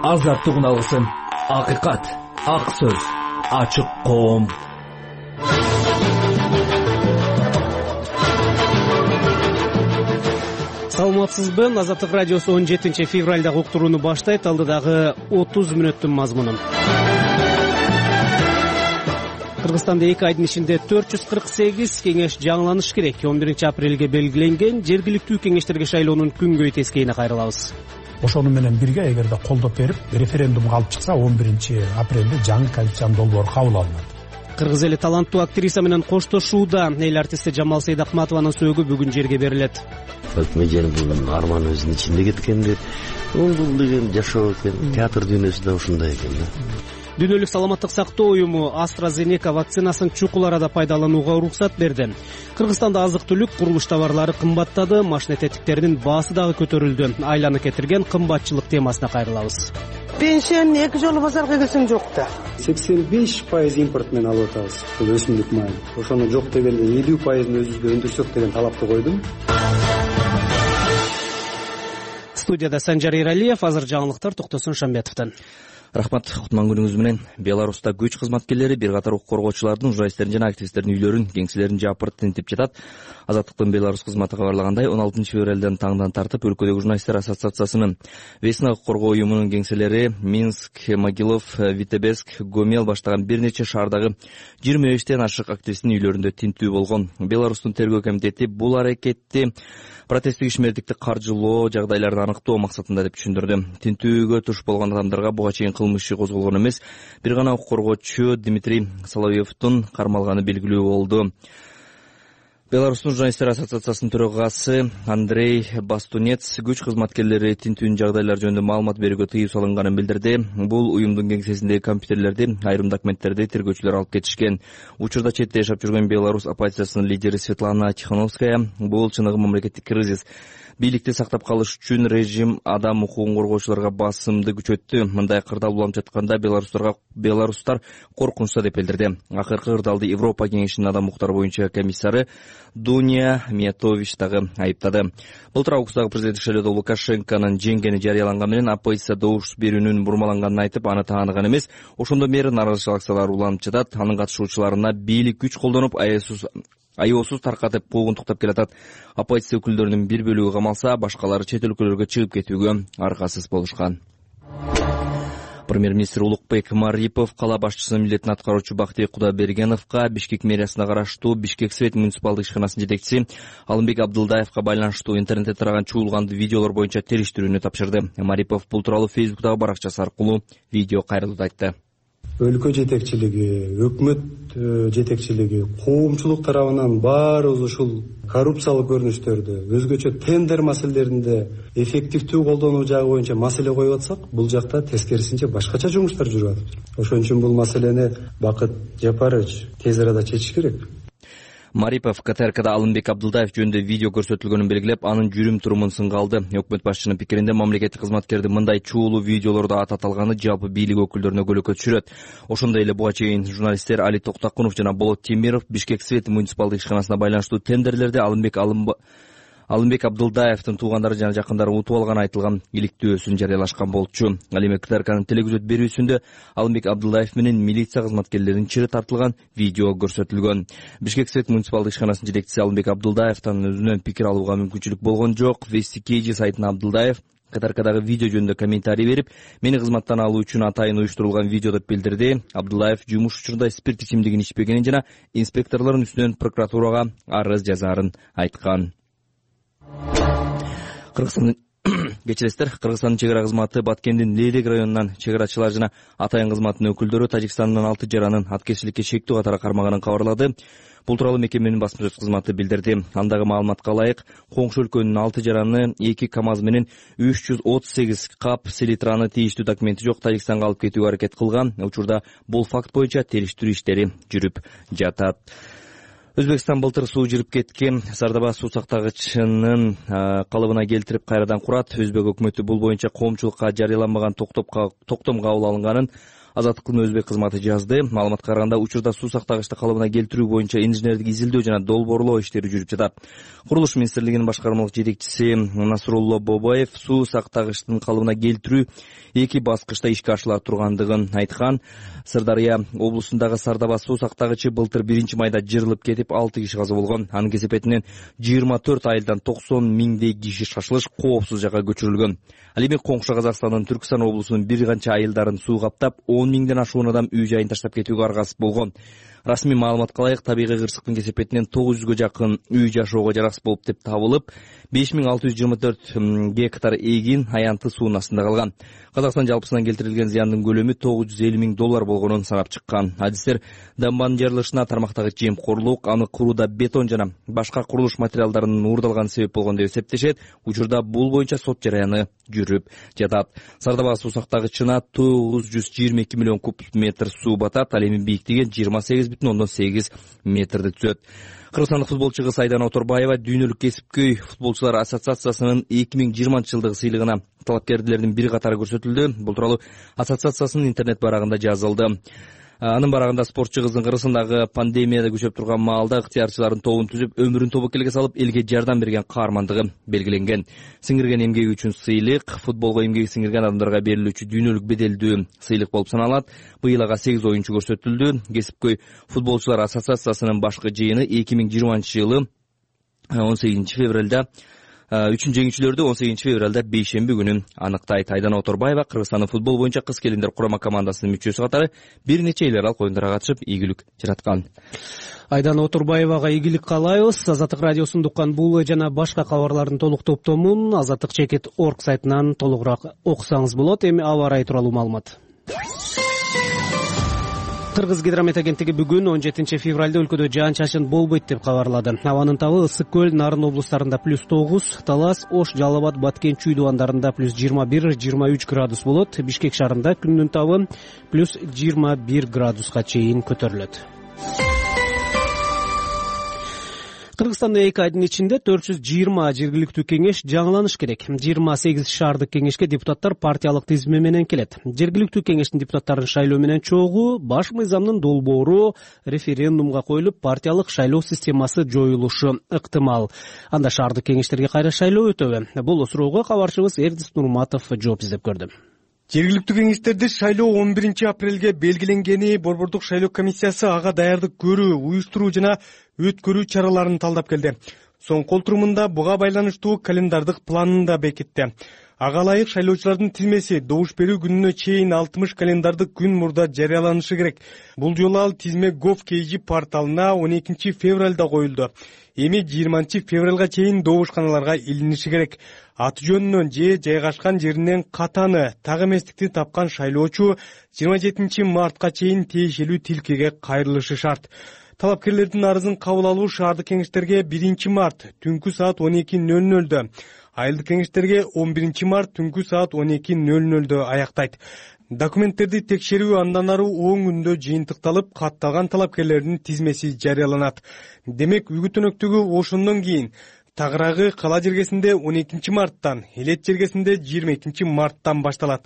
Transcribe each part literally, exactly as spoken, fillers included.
азаттыгын алгысың. Акыйкат, ак сөз, ачык коом. Саламатсызбы? Азаттык радиосу он жетинчи февралда уктурууну баштайт. Алдыдагы отуз мүнөттүн мазмунун. Кыргызстанда эки айдын ичинде төрт жүз кырк сегиз кеңеш жаңыланыш керек. он биринчи апрелге белгиленген жергиликтүү кеңештерге шайлоонун күнгөй тескейине кайрылабыз. Ошону менен бирге эгерде колдоп берип, референдумга алып чыкса, он биринчи апрелде жаңы конституциянын долбоору кабыл алынат. Кыргыз эли таланттуу актриса менен коштошууда. Эл артисти Жамал Сейдахматованын сөөгү бүгүн жерге берилет. Өкмөжен бул арман өзүнүн ичинде кеткенди. Бул деген жашоо экен, театр дүйнөсү да ушундай экен да. Дүйнөлүк саламаттык сактоо уюму AstraZeneca вакцинасын чукул арада пайдаланууга уруксат берди. Кыргызстанда азык-түлүк, курулуш товарлары кымбаттады, машина тетиктеринин баасы дагы көтөрүлдү. Айланы кетирген кымбатчылык темасына кайрылабыз. Пенсияны эки жолу базарга келсең жок да. сексен беш пайыз импорт менен алып атабыз. Бул өсүмдүк майы. Ошону жок дегенде элүү пайызын өзүбүзгө өндүрсөк деген талапты койдум. Студияда Санжар Эралиев, азыр жаңылыктар Токтосун Шамбетовдон. Рахмат, кутман күнүңүз менен. Беларуста күч кызматкерлери бир катар укук коргоочулардын, журналисттердин жана активисттердин үйлөрүн, кеңселерин жапырт тинтип жатат. Азаттыктын Беларусь кызматы кабарлагандай, он алтынчы февралдан таңдан тартып өлкөдөгү журналисттер ассоциациясынын Весна укук коргоо уюмунун кеңселери Минск, Могилев, Витебск, Гомел баштаган бир нече шаардагы жыйырма бештен ашык активисттин үйлөрүндө тинтүү болгон. Беларустун тергөө комитети бул аракетти протесттик ишмердикти каржылоо жагдайларын аныктоо максатында деп түшүндүрдү. Тинтүүгө туш болгон адамдарга буга чейин кылмыш иши козголгон эмес, бир гана укук коргоочу Дмитрий Соловьевдун кармалганы белгилүү болду. Беларустун журналисттер ассоциациясынын төрагасы Андрей Бастунец күч кызматкерлери тинтүүнүн жагдайлары жөнүндө маалымат берүүгө тыюу салынганын билдирди. Бул уюмдун кеңсесиндеги компьютерлерди, айрым документтерди тергөөчүлөр алып кетишкен. Учурда четте жашап жүргөн Беларусь оппозициясынын лидери Светлана Тихановская бул чыныгы мамлекеттик кризис. Бийликти сактап калыш үчүн режим адам укугун коргоочуларга басымды күчөттү. Мындай кырдаал улам жатканда беларустарга беларустар коркунучта деп билдирди. Акыркы кырдаалды Европа кеңешинин адам укуктары боюнча комиссары Дуня Миятович дагы айыптады. Былтыр августтагы президенттик шайлоодо Лукашенконун жеңгени жарыяланган менен оппозиция добуш берүүнүн бурмаланганын айтып, аны таанаган эмес. Ошондон бери нааразычылык акциялары уланып жатат. Анын катышуучуларына бийлик күч колдонуп, аясыз Айоосуз таркатып куугунтуктап келатат. Оппозиция өкүлдөрүнүн бир бөлүгү камалса, башкалары чет өлкөлөргө чыгып кетүүгө аргасыз болушкан. Премьер-министр Улукбек Марипов кала башчысынын милдетин аткаруучу Бактыбек Кудайбергеновго Бишкек мэриясына караштуу Бишкек Свет муниципалдык ишканасынын жетекчиси Алымбек Абдылдаевга байланыштуу интернетте тараган чуулганды видеолор боюнча териштирүүнү тапшырды. Марипов бул тууралуу Фейсбуктагы баракчасы аркылуу видео кайрылууда айтты. Өлкө жетекчилиги, өкмөт жетекчилиги, коомчулук тарабынан баарыбыз ушул коррупциялык көрүнүштөрдү, өзгөчө тендер маселелеринде эффективдүү колдонуу жагы боюнча маселе коюп атсак, бул жакта тескерисинче башкача жумуштар жүрүп атат. Ошон үчүн бул маселени Бакыт Жапарович тез арада чечиш керек. Марипов КТРКда Алымбек Абдылдаев жөнүндө видео көрсөтүлгөнүн белгилеп, анын жүрүм турумун сынга алды. Өкмөт башчынын пикиринде мамлекеттик кызматкерди мындай чуулуу видеолорду ат аталганы жалпы бийлик өкүлдөрүнө көлөкө түшүрөт. Ошондой эле буга чейин журналисттер Али Токтакунов жана Болот Темиров Бишкек Свет муниципалдык ишканасына байланыштуу тендерлерди Алымбек Алымб Алымбек Абдылдаевдин туугандары жана жакындары утуп алганы айтылган иликтөөсүн жарыялашкан болчу. Ал эми КТРКнын телегөзөт берүүсүндө Алымбек Абдылдаев менен милиция кызматкерлеринин чыры тартылган видео көрсөтүлгөн. Бишкек Свет муниципалдык ишканасынын жетекчиси Алымбек Абдылдаевдин өзүнөн пикир алууга мүмкүнчүлүк болгон жок. Вестикейджи сайтына Абдылдаев КТРКдагы видео жөнүндө комментарий берип, мени кызматтан алуу үчүн атайын уюштурулган видео деп билдирди. Абдылдаев жумуш учурунда спирт ичимдигин ичпегенин жана инспекторлордун үстүнөн прокуратурага арыз жазаарын айткан. Кыргызстандын кечиресиздер, Кыргызстандын чек ара кызматы Баткендин Лейлек районунан чек арачылар жана атайын кызматынын өкүлдөрү Тажикстандын алты жаранын аткерчиликке шектүү катары кармаганын кабарлады. Бул тууралуу мекеменин басма сөз кызматы билдирди. Андагы маалыматка ылайык, коңшу өлкөнүн алты жараны эки КАМАЗ менен үч жүз отуз сегиз кап селитраны тийиштүү документи жок Тажикстанга алып кетүүгө аракет кылган. Учурда бул факт боюнча териштирүү иштери жүрүп жатат. Өзбекстан былтыр суу жирип кеткен Сардаба суу сактагычынын калыбына келтирип кайрадан курат. Өзбек өкмөтү бул боюнча коомчулукка жарыяланбаган токтом кабыл алынганын, Азаттыктын өзбек кызматы жазды. Маалыматка караганда, учурда суу сактагычты калыбына келтирүү боюнча инженердик изилдөө жана долбоорлоо иштери жүрүп жатат. Курулуш министрлигинин башкармалык жетекчиси Насрулло Бобаев суу сактагычтын калыбына келтирүү эки баскычта ишке ашыла тургандыгын айткан. Сырдарыя облусундагы Сардаба суу сактагычы былтыр биринчи майда жырылып кетип, алты киши каза болгон. Анын кесепетинен жыйырма төрт айылдан токсон миңдей киши шашылыш коопсуз жакка көчүрүлгөн. Ал эми коңшу Казакстандын Түркстан облусунун бир канча айылдарын суу каптап, он миңден ашуун адам үй жайын таштап кетүүгө аргасыз болгон. Расмий маалыматка ылайык, табигый кырсыктын кесепетинен тогуз жүзгө жакын үй жашоого жараксыз болуп деп табылып, беш миң алты жүз жыйырма төрт гектар эгин аянты суунун астында калган. Казакстан жалпысынан келтирилген зыяндын көлөмү тогуз жүз элүү миң доллар болгонун санап чыккан. Адистер дамбанын жарылышына тармактагы жемкорлук, аны курууда бетон жана башка курулуш материалдарынын уурдалганы себеп болгон деп эсептешет. Учурда бул боюнча сот жараяны жүрүп жатат. Сардаба суу сактагычына тогуз жүз жыйырма эки миллион куб метр суу батат. Ал эми бийиктиги жыйырма сегиз бүтүн ондон сегиз метрди түзөт. Кыргызстандык футболчу кыз Айдана Оторбаева дүйнөлүк кесипкөй футболчулар ассоциациясынын эки миң жыйырманчы жылдыгы сыйлыгына талапкерлердин бир катары көрсөтүлдү. Бул тууралуу ассоциациясынын интернет барагында жазылды. Анын барагында спортчу кыздын кыргызстандагы пандемияда күчөп турган маалда ыктыярчылардын тобун түзүп, өмүрүн тобокелге салып, элге жардам берген каармандыгы белгиленген. Сиңирген эмгеги үчүн сыйлык футболго эмгеги сиңирген адамдарга берилүүчү дүйнөлүк беделдүү сыйлык болуп саналат. Быйыл ага сегиз оюнчу көрсөтүлдү. Кесипкөй футболчулар ассоциациясынын башкы жыйыны эки миң жыйырманчы жылы он сегизинчи февралда үчүн жеңүүчүлөрдү он сегизинчи февралда бейшемби күнү аныктайт. Айдана Оторбаева Кыргызстандын футбол боюнча кыз келиндер курама командасынын мүчөсү катары бир нече эл аралык оюндарга катышып, ийгилик жараткан. Айдана Оторбаевага ийгилик каалайбыз. Азаттык радиосун уккан бул жана башка кабарлардын толук топтомун азаттык чекит точка орг сайтынан толугураак окусаңыз болот. Эми аба ырайы тууралуу маалымат. Кыргыз гидромет агенттиги бүгүн он жетинчи февралда өлкөдө жаан-чачын болбойт деп кабарлады. Абанын табы Ысык көл, Нарын облустарында плюс тогуз, Талас, Ош, Жалал Абад, Баткен, Чүй дубандарында плюс жыйырма бир — жыйырма үч градус болот. Бишкек шаарында күндүн табы плюс жыйырма бир градуска чейин көтөрүлөт. Кыргызстанда эки айдын ичинде төрт жүз жыйырма жергиликтүү кеңеш жаңыланыш керек. жыйырма сегиз шаардык кеңешке депутаттар партиялык тизме менен келет. Жергиликтүү кеңештин депутаттарын шайлоо менен чогуу баш мыйзамдын долбоору референдумга коюлуп, партиялык шайлоо системасы жоюлушу ыктымал. Анда шаардык кеңештерге кайра шайлоо өтөбү? Бул суроого кабарчыбыз Эрдис Нурматов жооп издеп көрдү. Жергиликтүү кеңештерди шайлоо он биринчи апрелге белгиленгени борбордук шайлоо комиссиясы ага даярдык көрүү, уюштуруу жана өткөрүү чараларын талдап келди. Соң кол турумунда буга байланыштуу календардык планын да бекитти. Ага ылайык шайлоочулардын тизмеси добуш берүү күнүнө чейин алтымыш календардык күн мурда жарыяланышы керек. Бул жолу ал тизме Gov кей джи порталына он экинчи февралда коюлду. Эми жыйырманчы февралга чейин добушканаларга илиниши керек. Аты жөнүнөн же жайгашкан жеринен катаны, так эместикти тапкан шайлоочу жыйырма жетинчи мартка чейин тиешелүү тилкеге кайрылышы шарт. Талапкерлердин арызын кабыл алуу шаардык кеңештерге биринчи март түнкү саат он эки нөл нөлдө, айылдык кеңештерге он биринчи март түнкү саат он эки нөл нөлдө аяктайт. Документтерди текшерүү андан ары он күндө жыйынтыкталып, катталган талапкерлердин тизмеси жарыяланат. Демек, үгүт-өнөктүгү ошондон кийин тагыраагы кала жергесинде он экинчи марттан, элет жергесинде жыйырма экинчи марттан башталат.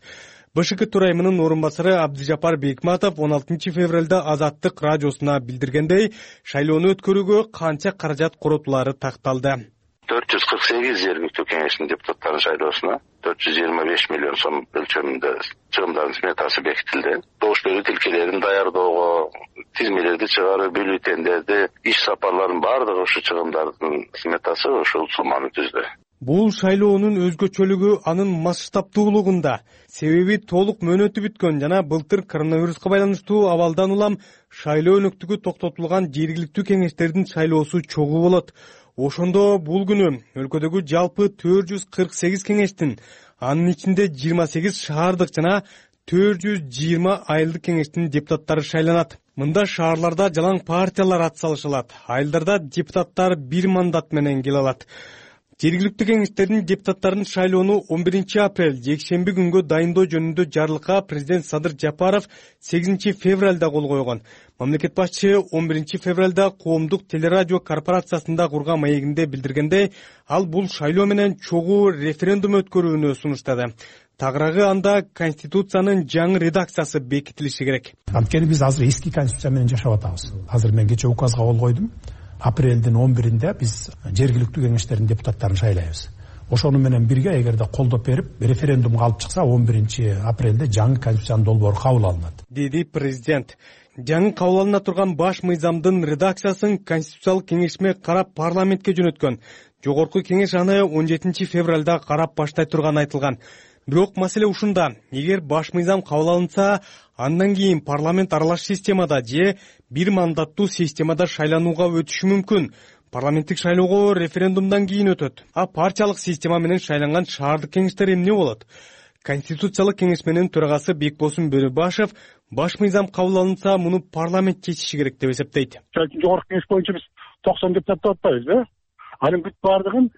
БШК төрайымынын орун басары Абдыжапар Бекматов он алтынчы февралда Азаттык радиосуна билдиргендей, шайлоону өткөрүүгө канча каражат коротулары такталды. төрт жүз кырк сегиз жергиликтүү кеңештин депутаттарын шайлоосуна төрт жүз жыйырма беш миллион сом өлчөмүндө чыгымдардын сметасы бекитилди. Добуш берүү тилкелерин даярдоого, тизмелерди чыгаруу, бюллетендерди, иш сапарларын баардыгы ушу чыгымдардын сметасы ушул сумманы түздү. Бул шайлоонун өзгөчөлүгү анын масштабтуулугунда. Себеби толук мөөнөтү бүткөн жана былтыр коронавируска байланыштуу абалдан улам шайлоо өнөктүгү токтотулган жергиликтүү кеңештердин шайлоосу чогуу болот. Ошондо бул күнү өлкөдөгү жалпы төрт жүз кырк сегиз кеңештин, анын ичинде жыйырма сегиз шаардык жана төрт жүз жыйырма айылдык кеңештин депутаттары шайланат. Мында шаарларда жалаң партиялар ат салышылат, айылдарда депутаттар бир мандат менен келе алат. Жергиликтүү кеңештердин депутаттарын шайлоону он биринчи апрель жекшемби күнгө дайындоо жөнүндө жарлыкка президент Садыр Жапаров сегизинчи февралда кол койгон. Мамлекет башчысы он биринчи февралда коомдук телерадио корпорациясында курган маегинде билдиргендей, ал бул шайлоо менен чогуу референдум өткөрүүнү сунуштады. Тагыраагы анда Конституциянын жаңы редакциясы бекитилиши керек. Анткени биз азыр эски Конституция менен жашап атабыз. Азыр мен кече указга кол койдум. Апрелдин он биринде биз жергиликтүү кеңештердин депутаттарын шайлайбыз. Ошону менен бирге эгерде колдоп берип, референдумга алып чыкса, он биринчи апрелде жаңы Конституциянын долбоору кабыл алынат, деди президент. Жаңы кабыл алына турган баш мыйзамдын редакциясын Конституциялык кеңешме карап парламентке жөнөткөн. Жогорку кеңеш аны он жетинчи февралда карап баштай турганы айтылган. Бирок маселе ушунда. Эгер баш мыйзам кабыл алынса, андан кийин парламент аралаш системада же бир мандаттуу системада шайланууга өтүшү мүмкүн. Парламенттик шайлоого референдумдан кийин өтөт. А партиялык система менен шайланган шаардык кеңештер эмне болот? Конституциялык кеңешменин төрагасы Бекбосун Бөрөбашев баш мыйзам кабыл алынса, муну парламент чечиши керек деп эсептейт. Жогорку кеңеш боюнча биз токсон депутат атпайбызбы? Анын бүт бардыгын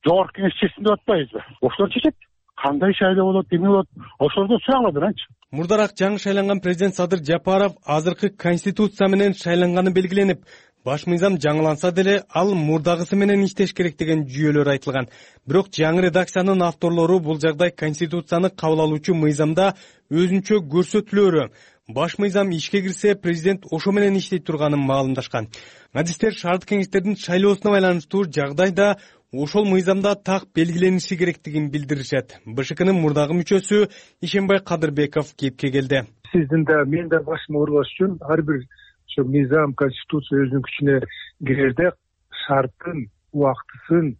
жогорку кеңеш чечсин деп атпайбызбы? Ошолор чечет. Кандай шайлоо болот, эмне болот? Ошолордон сураглады анчы. Мурдараак жаңы шайланган президент Садыр Жапаров азыркы Конституция менен шайланганы белгиленип, баш мыйзам жаңыланса деле ал мурдагысы менен иштеш керек деген жүйөлөр айтылган. Бирок жаңы редакциянын авторлору бул жагдай Конституцияны кабыл алуучу мыйзамда өзүнчө көрсөтүлөрү. Баш мыйзам ишке кирсе, президент ошо менен иштей турганын маалымдашкан. Адистер шаардык кеңештердин шайлоосуна байланыштуу жагдайда ошол мыйзамда так белгилениши керектигин билдиришет. БШКнын мурдагы мүчөсү Ишенбай Кадырбеков кепке келди. Сиздин да мен да башым оорубаш үчүн ар бир ошо мыйзам, конституция өзүнүн күчүнө кирерде шарттын, убактысын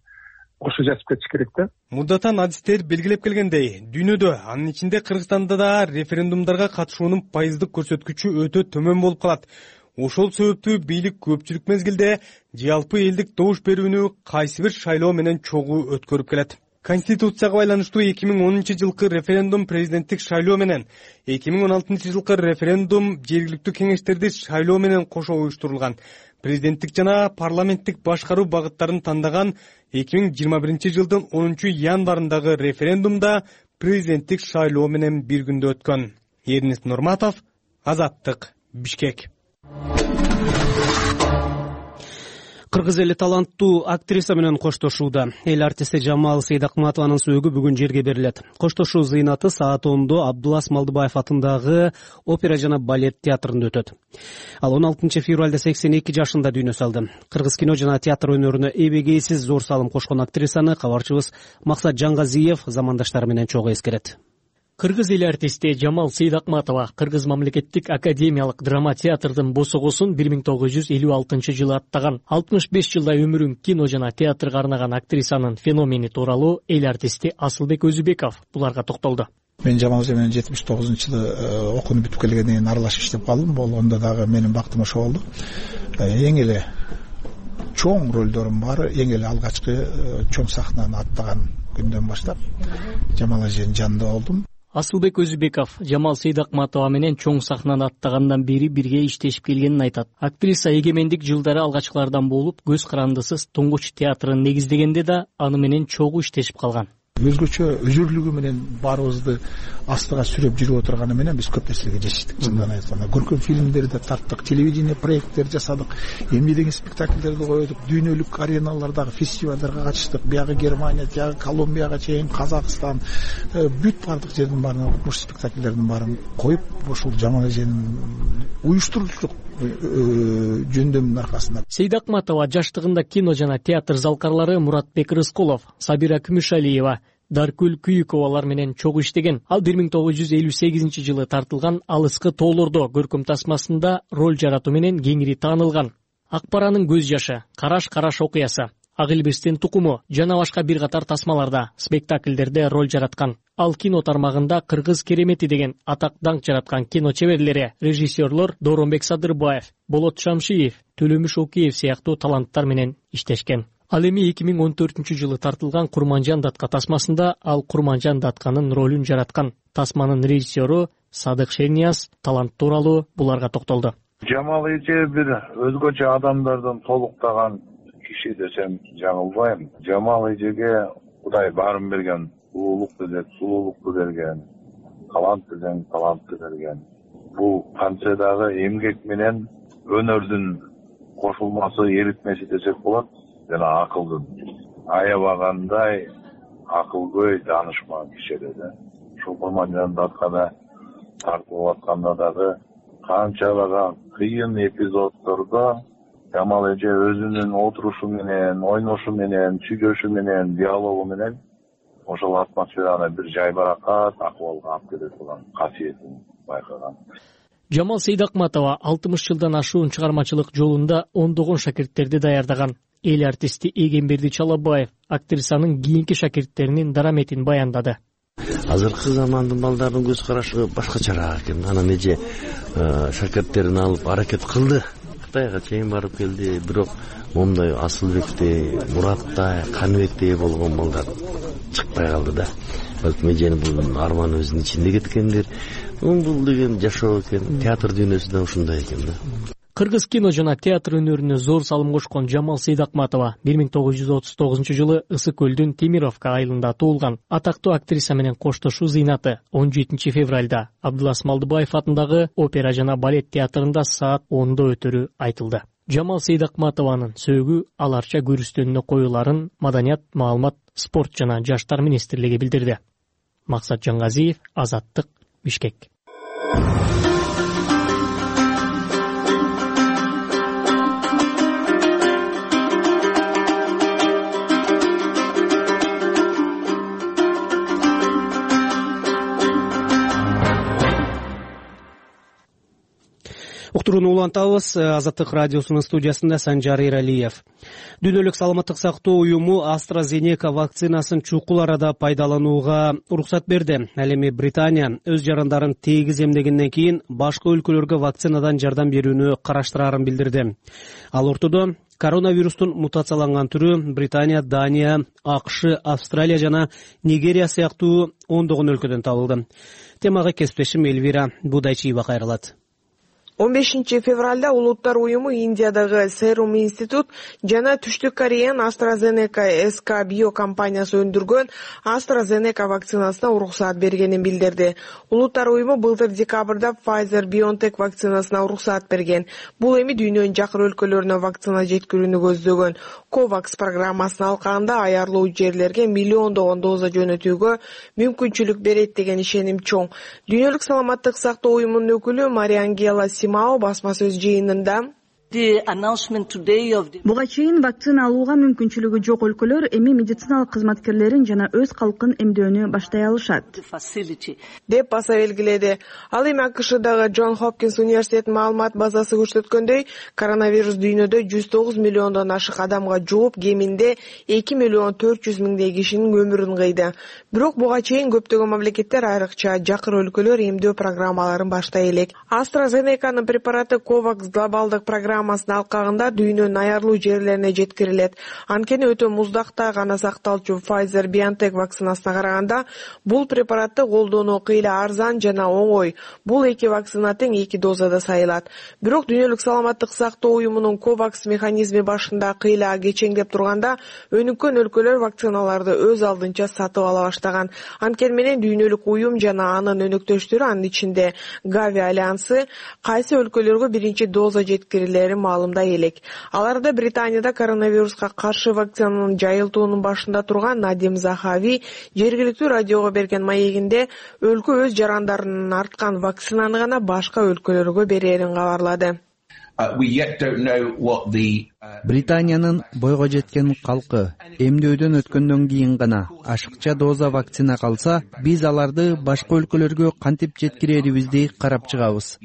ошо жазып кетиш керек да. Мурдатан адистер белгилеп келгендей, дүйнөдө, анын ичинде Кыргызстанда да референдумдарга катышуунун пайыздык көрсөткүчү өтө төмөн болуп калат. Ошол себептүү бийлик көпчүлүк мезгилде жалпы элдик добуш берүүнү кайсы бир шайлоо менен чогуу өткөрүп келет. Конституцияга байланыштуу эки миң онунчу жылкы референдум президенттик шайлоо менен, эки миң он алтынчы жылкы референдум жергиликтүү кеңештерди шайлоо менен кошо уюштурулган. Президенттик жана парламенттик башкаруу багыттарын тандаган эки миң жыйырма биринчи жылдын онунчу январындагы референдумда президенттик шайлоо менен бир күндө өткөн. Эрнест Нурматов, Азаттык, Бишкек. Кыргыз эли таланттуу актриса менен коштошууда. Эл артисти Жамал Сейдакматованын сөөгү бүгүн жерге берилет. Коштошуу зыйнаты саат ондо Абдулас Малдыбаев атындагы опера жана балет театрында өтөт. Ал он алтынчы февралда сексен эки жашында дүйнө салды. Кыргыз кино жана театр өнөрүнө эбегейсиз зор салым кошкон актрисаны кабарчыбыз Максат Жангазиев замандаштары менен чогуу эскерет. Кыргыз эл артисти Жамал Сейдакматова Кыргыз мамлекеттик академиялык драма театрдын босогосун бир миң тогуз жүз элүү алтынчы жылы аттаган. алтымыш беш жылдай өмүрүн кино жана театрга арнаган актрисанын феномени тууралуу эл артисти Асылбек Өзүбеков буларга токтолду. Мен Жамал эже менен жетимиш тогузунчу жылы окууну бүтүп келгенден кийин аралашып иштеп калдым. Бул онда дагы менин бактым ошо болду. Эң эле чоң ролдорум бар, эң эле алгачкы чоң сахнаны аттаган күндөн баштап Жамал эженин жанында болдум. Асылбек Өзүбеков Жамал Сейдакматова менен чоң сахнаны аттагандан бери бирге иштешип келгенин айтат. Актриса эгемендик жылдары алгачкылардан болуп, көз карандысыз туңгуч театрын негиздегенде да аны менен чогуу иштешип калган. Өзгөчө өзүрлүгү менен баарыбызды астыга сүрөп жүрүп отурганы менен биз көп нерселерге жетиштик. Чындыгын айтканда, көркөм фильмдерди тарттык, телевидение проекттер жасадык, эмне деген спектакльдерди койдук, дүйнөлүк ареналардагы фестивалдарга катыштык. Бияга Германия, тияга Колумбияга чейин, Казакстан, бүт бардык жердин баарына окумуш спектакльдердин баарын коюп, ошол Жамал эженин уюштуруучулук жөндөмүнүн аркасында. Сейдакматова жаштыгында кино жана театр залкарлары Муратбек Рыскулов, Сабира Күмүшалиева, Даркүл Күйүковалар менен чогуу иштеген. Ал бир миң тогуз жүз элүү сегизинчи жылы тартылган Алыскы тоолордо көркөм тасмасында роль жаратуу менен кеңири таанылган. Акбаранын көз жашы, Караш-караш окуясы, Ак Илбирстин тукуму жана башка бир катар тасмаларда, спектакльдерде роль жараткан. Ал кино тармагында Кыргыз керемети деген атак даңк жараткан кино чеберлери, режиссерлор Дооронбек Садырбаев, Болот Шамшиев, Төлөмүш Окиев сыяктуу таланттар менен иштешкен. Ал эми эки миң он төртүнчү жылы тартылган Курманжан датка тасмасында ал Курманжан датканын ролун жараткан. Тасманын режиссеру Садык Шернияз талант тууралуу буларга токтолду. Жамал эже бир өзгөчө адамдардан толуктаган киши десем жаңылбайм. Жамал эжеге Кудай баарын берген, улуулук деген сулуулукту берген, талант деген талантты берген. Бул канча дагы эмгек менен өнөрдүн кошулмасы, эритмеси десек болот. Жана акылдын аябагандай акылгөй, данышман киши эле. ушул германиянын аркада тартылып атканда дагы канчалаган кыйын эпизоддордо Жамал эже өзүнүн отурушу менен, ойношу менен, сүйлөшү менен, диалогу менен ошол атмосфераны бир жайбаракат акыбалга алып келе турган касиетин байкаган. Жамал Сейдакматова алтымыш жылдан ашуун чыгармачылык жолунда ондогон шакирттерди даярдаган. Эл артисти Эгемберди Чалабаев актрисанын кийинки шакирттеринин дараметин баяндады. Азыркы замандын балдарынын көз карашы башкачараак экен. Анан эже шакирттерин алып аракет кылды. Кытайга чейин барып келди, бирок момундай Асылбектей, Мураттай, Каныбектей болгон балдар чыкпай калды да. Балким эженин бул арманы өзүнүн ичинде кеткендир. Бул деген жашоо экен, театр дүйнөсү да ушундай экен да. Кыргыз кино жана театр өнөрүнө зор салым кошкон Жамал Сейдакматова бир миң тогуз жүз отуз тогузунчу жылы Ысык көлдүн Темировка айылында туулган. Атактуу актриса менен коштошуу зыйнаты он жетинчи февралда Абдулас Малдыбаев атындагы опера жана балет театрында саат ондо өтөрү айтылды. Жамал Сейдакматованын сөөгү аларча көрүстөнүнө коюларын Маданият, маалымат, спорт жана жаштар министрлиги билдирди. Максат Жангазиев, Азаттык, Бишкек. Уктурууну улантабыз. Азаттык радиосунун студиясында Санжар Эралиев. Дүйнөлүк саламаттык сактоо уюму AstraZeneca вакцинасын чукул арада пайдаланууга уруксат берди. Ал эми Британия өз жарандарын тегиз эмдегенден кийин башка өлкөлөргө вакцинадан жардам берүүнү караштырарын билдирди. Ал ортодо коронавирустун мутацияланган түрү Британия, Дания, АКШ, Австралия жана Нигерия сыяктуу ондогон өлкөдөн табылды. Темага кесиптешим Элвира Будайчиева кайрылат. он бешинчи февралда Улуттар уюму Индиядагы Serum институт жана Түштүк Кореянын AstraZeneca эс ка био компаниясы өндүргөн AstraZeneca вакцинасына уруксаат бергенин билдирди. Улуттар уюму былтыр декабрда Pfizer-BioNTech вакцинасына уруксаат берген. Бул эми дүйнөнүн жакыр өлкөлөрүнө вакцина жеткирүүнү көздөгөн COVAX программасынын алкагында аярлуу жерлерге миллиондогон доза жөнөтүүгө мүмкүнчүлүк берет деген ишеним чоң. Дүйнөлүк саламаттык сактоо уюмунун өкүлү Мариангела Симао басма сөз жыйынында буга чейин вакцина алууга мүмкүнчүлүгү жок өлкөлөр эми медициналык кызматкерлерин жана өз калкын эмдөөнү баштай алышат деп баса белгиледи. Ал эми АКШдагы Джон Хопкинс университетинин маалымат базасы көрсөткөндөй, коронавирус дүйнөдө жүз тогуз миллиондон ашык адамга жугуп, кеминде эки миллион төрт жүз миңдей кишинин өмүрүн кыйды. Бирок буга чейин көптөгөн мамлекеттер, айрыкча жакыр өлкөлөр эмдөө программаларын баштай элек. AstraZeneca'нын препараты COVAX глобалдык программа программасынын алкагында дүйнөнүн аярлуу жерлерине жеткирилет. Анткени өтө муздакта гана сакталчу Pfizer-BioNTech вакцинасына караганда бул препаратты колдонуу кыйла арзан жана оңой. Бул эки вакцина тең эки дозада сайылат. Бирок дүйнөлүк саламаттык сактоо уюмунун COVAX механизми башында кыйла кечеңдеп турганда, өнүккөн өлкөлөр вакциналарды өз алдынча сатып ала баштаган. Анткени менен дүйнөлүк уюм жана анын өнөктөштөрү, анын ичинде Gavi альянсы, кайсы өлкөлөргө биринчи доза жеткирилери маалымдай элек. Аларда Британияда коронавируска каршы вакцинанын жайылтуунун башында турган Надим Захави жергиликтүү радиого берген маегинде өлкө өз жарандарынын арткан вакцинаны гана башка өлкөлөргө берерин кабарлады. Британиянын бойго жеткен калкы эмдөөдөн өткөндөн кийин гана ашыкча доза вакцина калса, биз аларды башка өлкөлөргө кантип жеткирерибизди карап чыгабыз,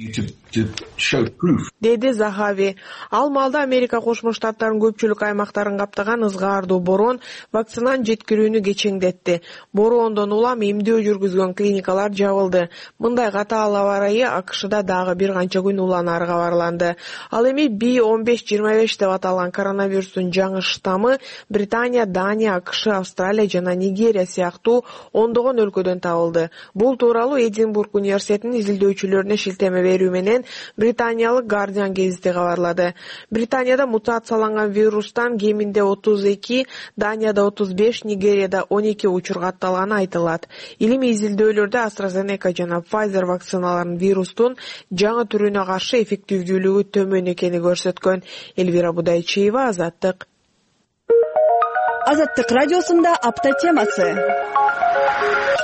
деди Захави. Ал маалда Америка Кошмо Штаттарынын көпчүлүк аймактарын каптаган ызгаардуу борон вакцинаны жеткирүүнү кечеңдетти. Бороондон улам эмдөө жүргүзгөн клиникалар жабылды. Мындай катаал аба ырайы АКШда дагы бир канча күн уланары кабарланды. Ал эми би он беш жыйырма беш деп аталган коронавирустун жаңы штаммы Британия, Дания, АКШ, Австралия жана Нигерия сыяктуу ондогон өлкөдөн табылды. Бул тууралуу Эдинбург университетинин изилдөөчүлөрүнө шилтеме берүү менен британиялык Guardian гезити кабарлады. Британияда мутацияланган вирустан кеминде отуз эки, Данияда отуз беш, Нигерияда он эки учур катталганы айтылат. Илимий изилдөөлөрдө AstraZeneca жана Pfizer вакциналарынын вирустун жаңы түрүнө каршы эффективдүүлүгү төмөн экени көрсөткөн. Элвира Будайчиева, Азаттык. Азаттык радиосунда апта темасы.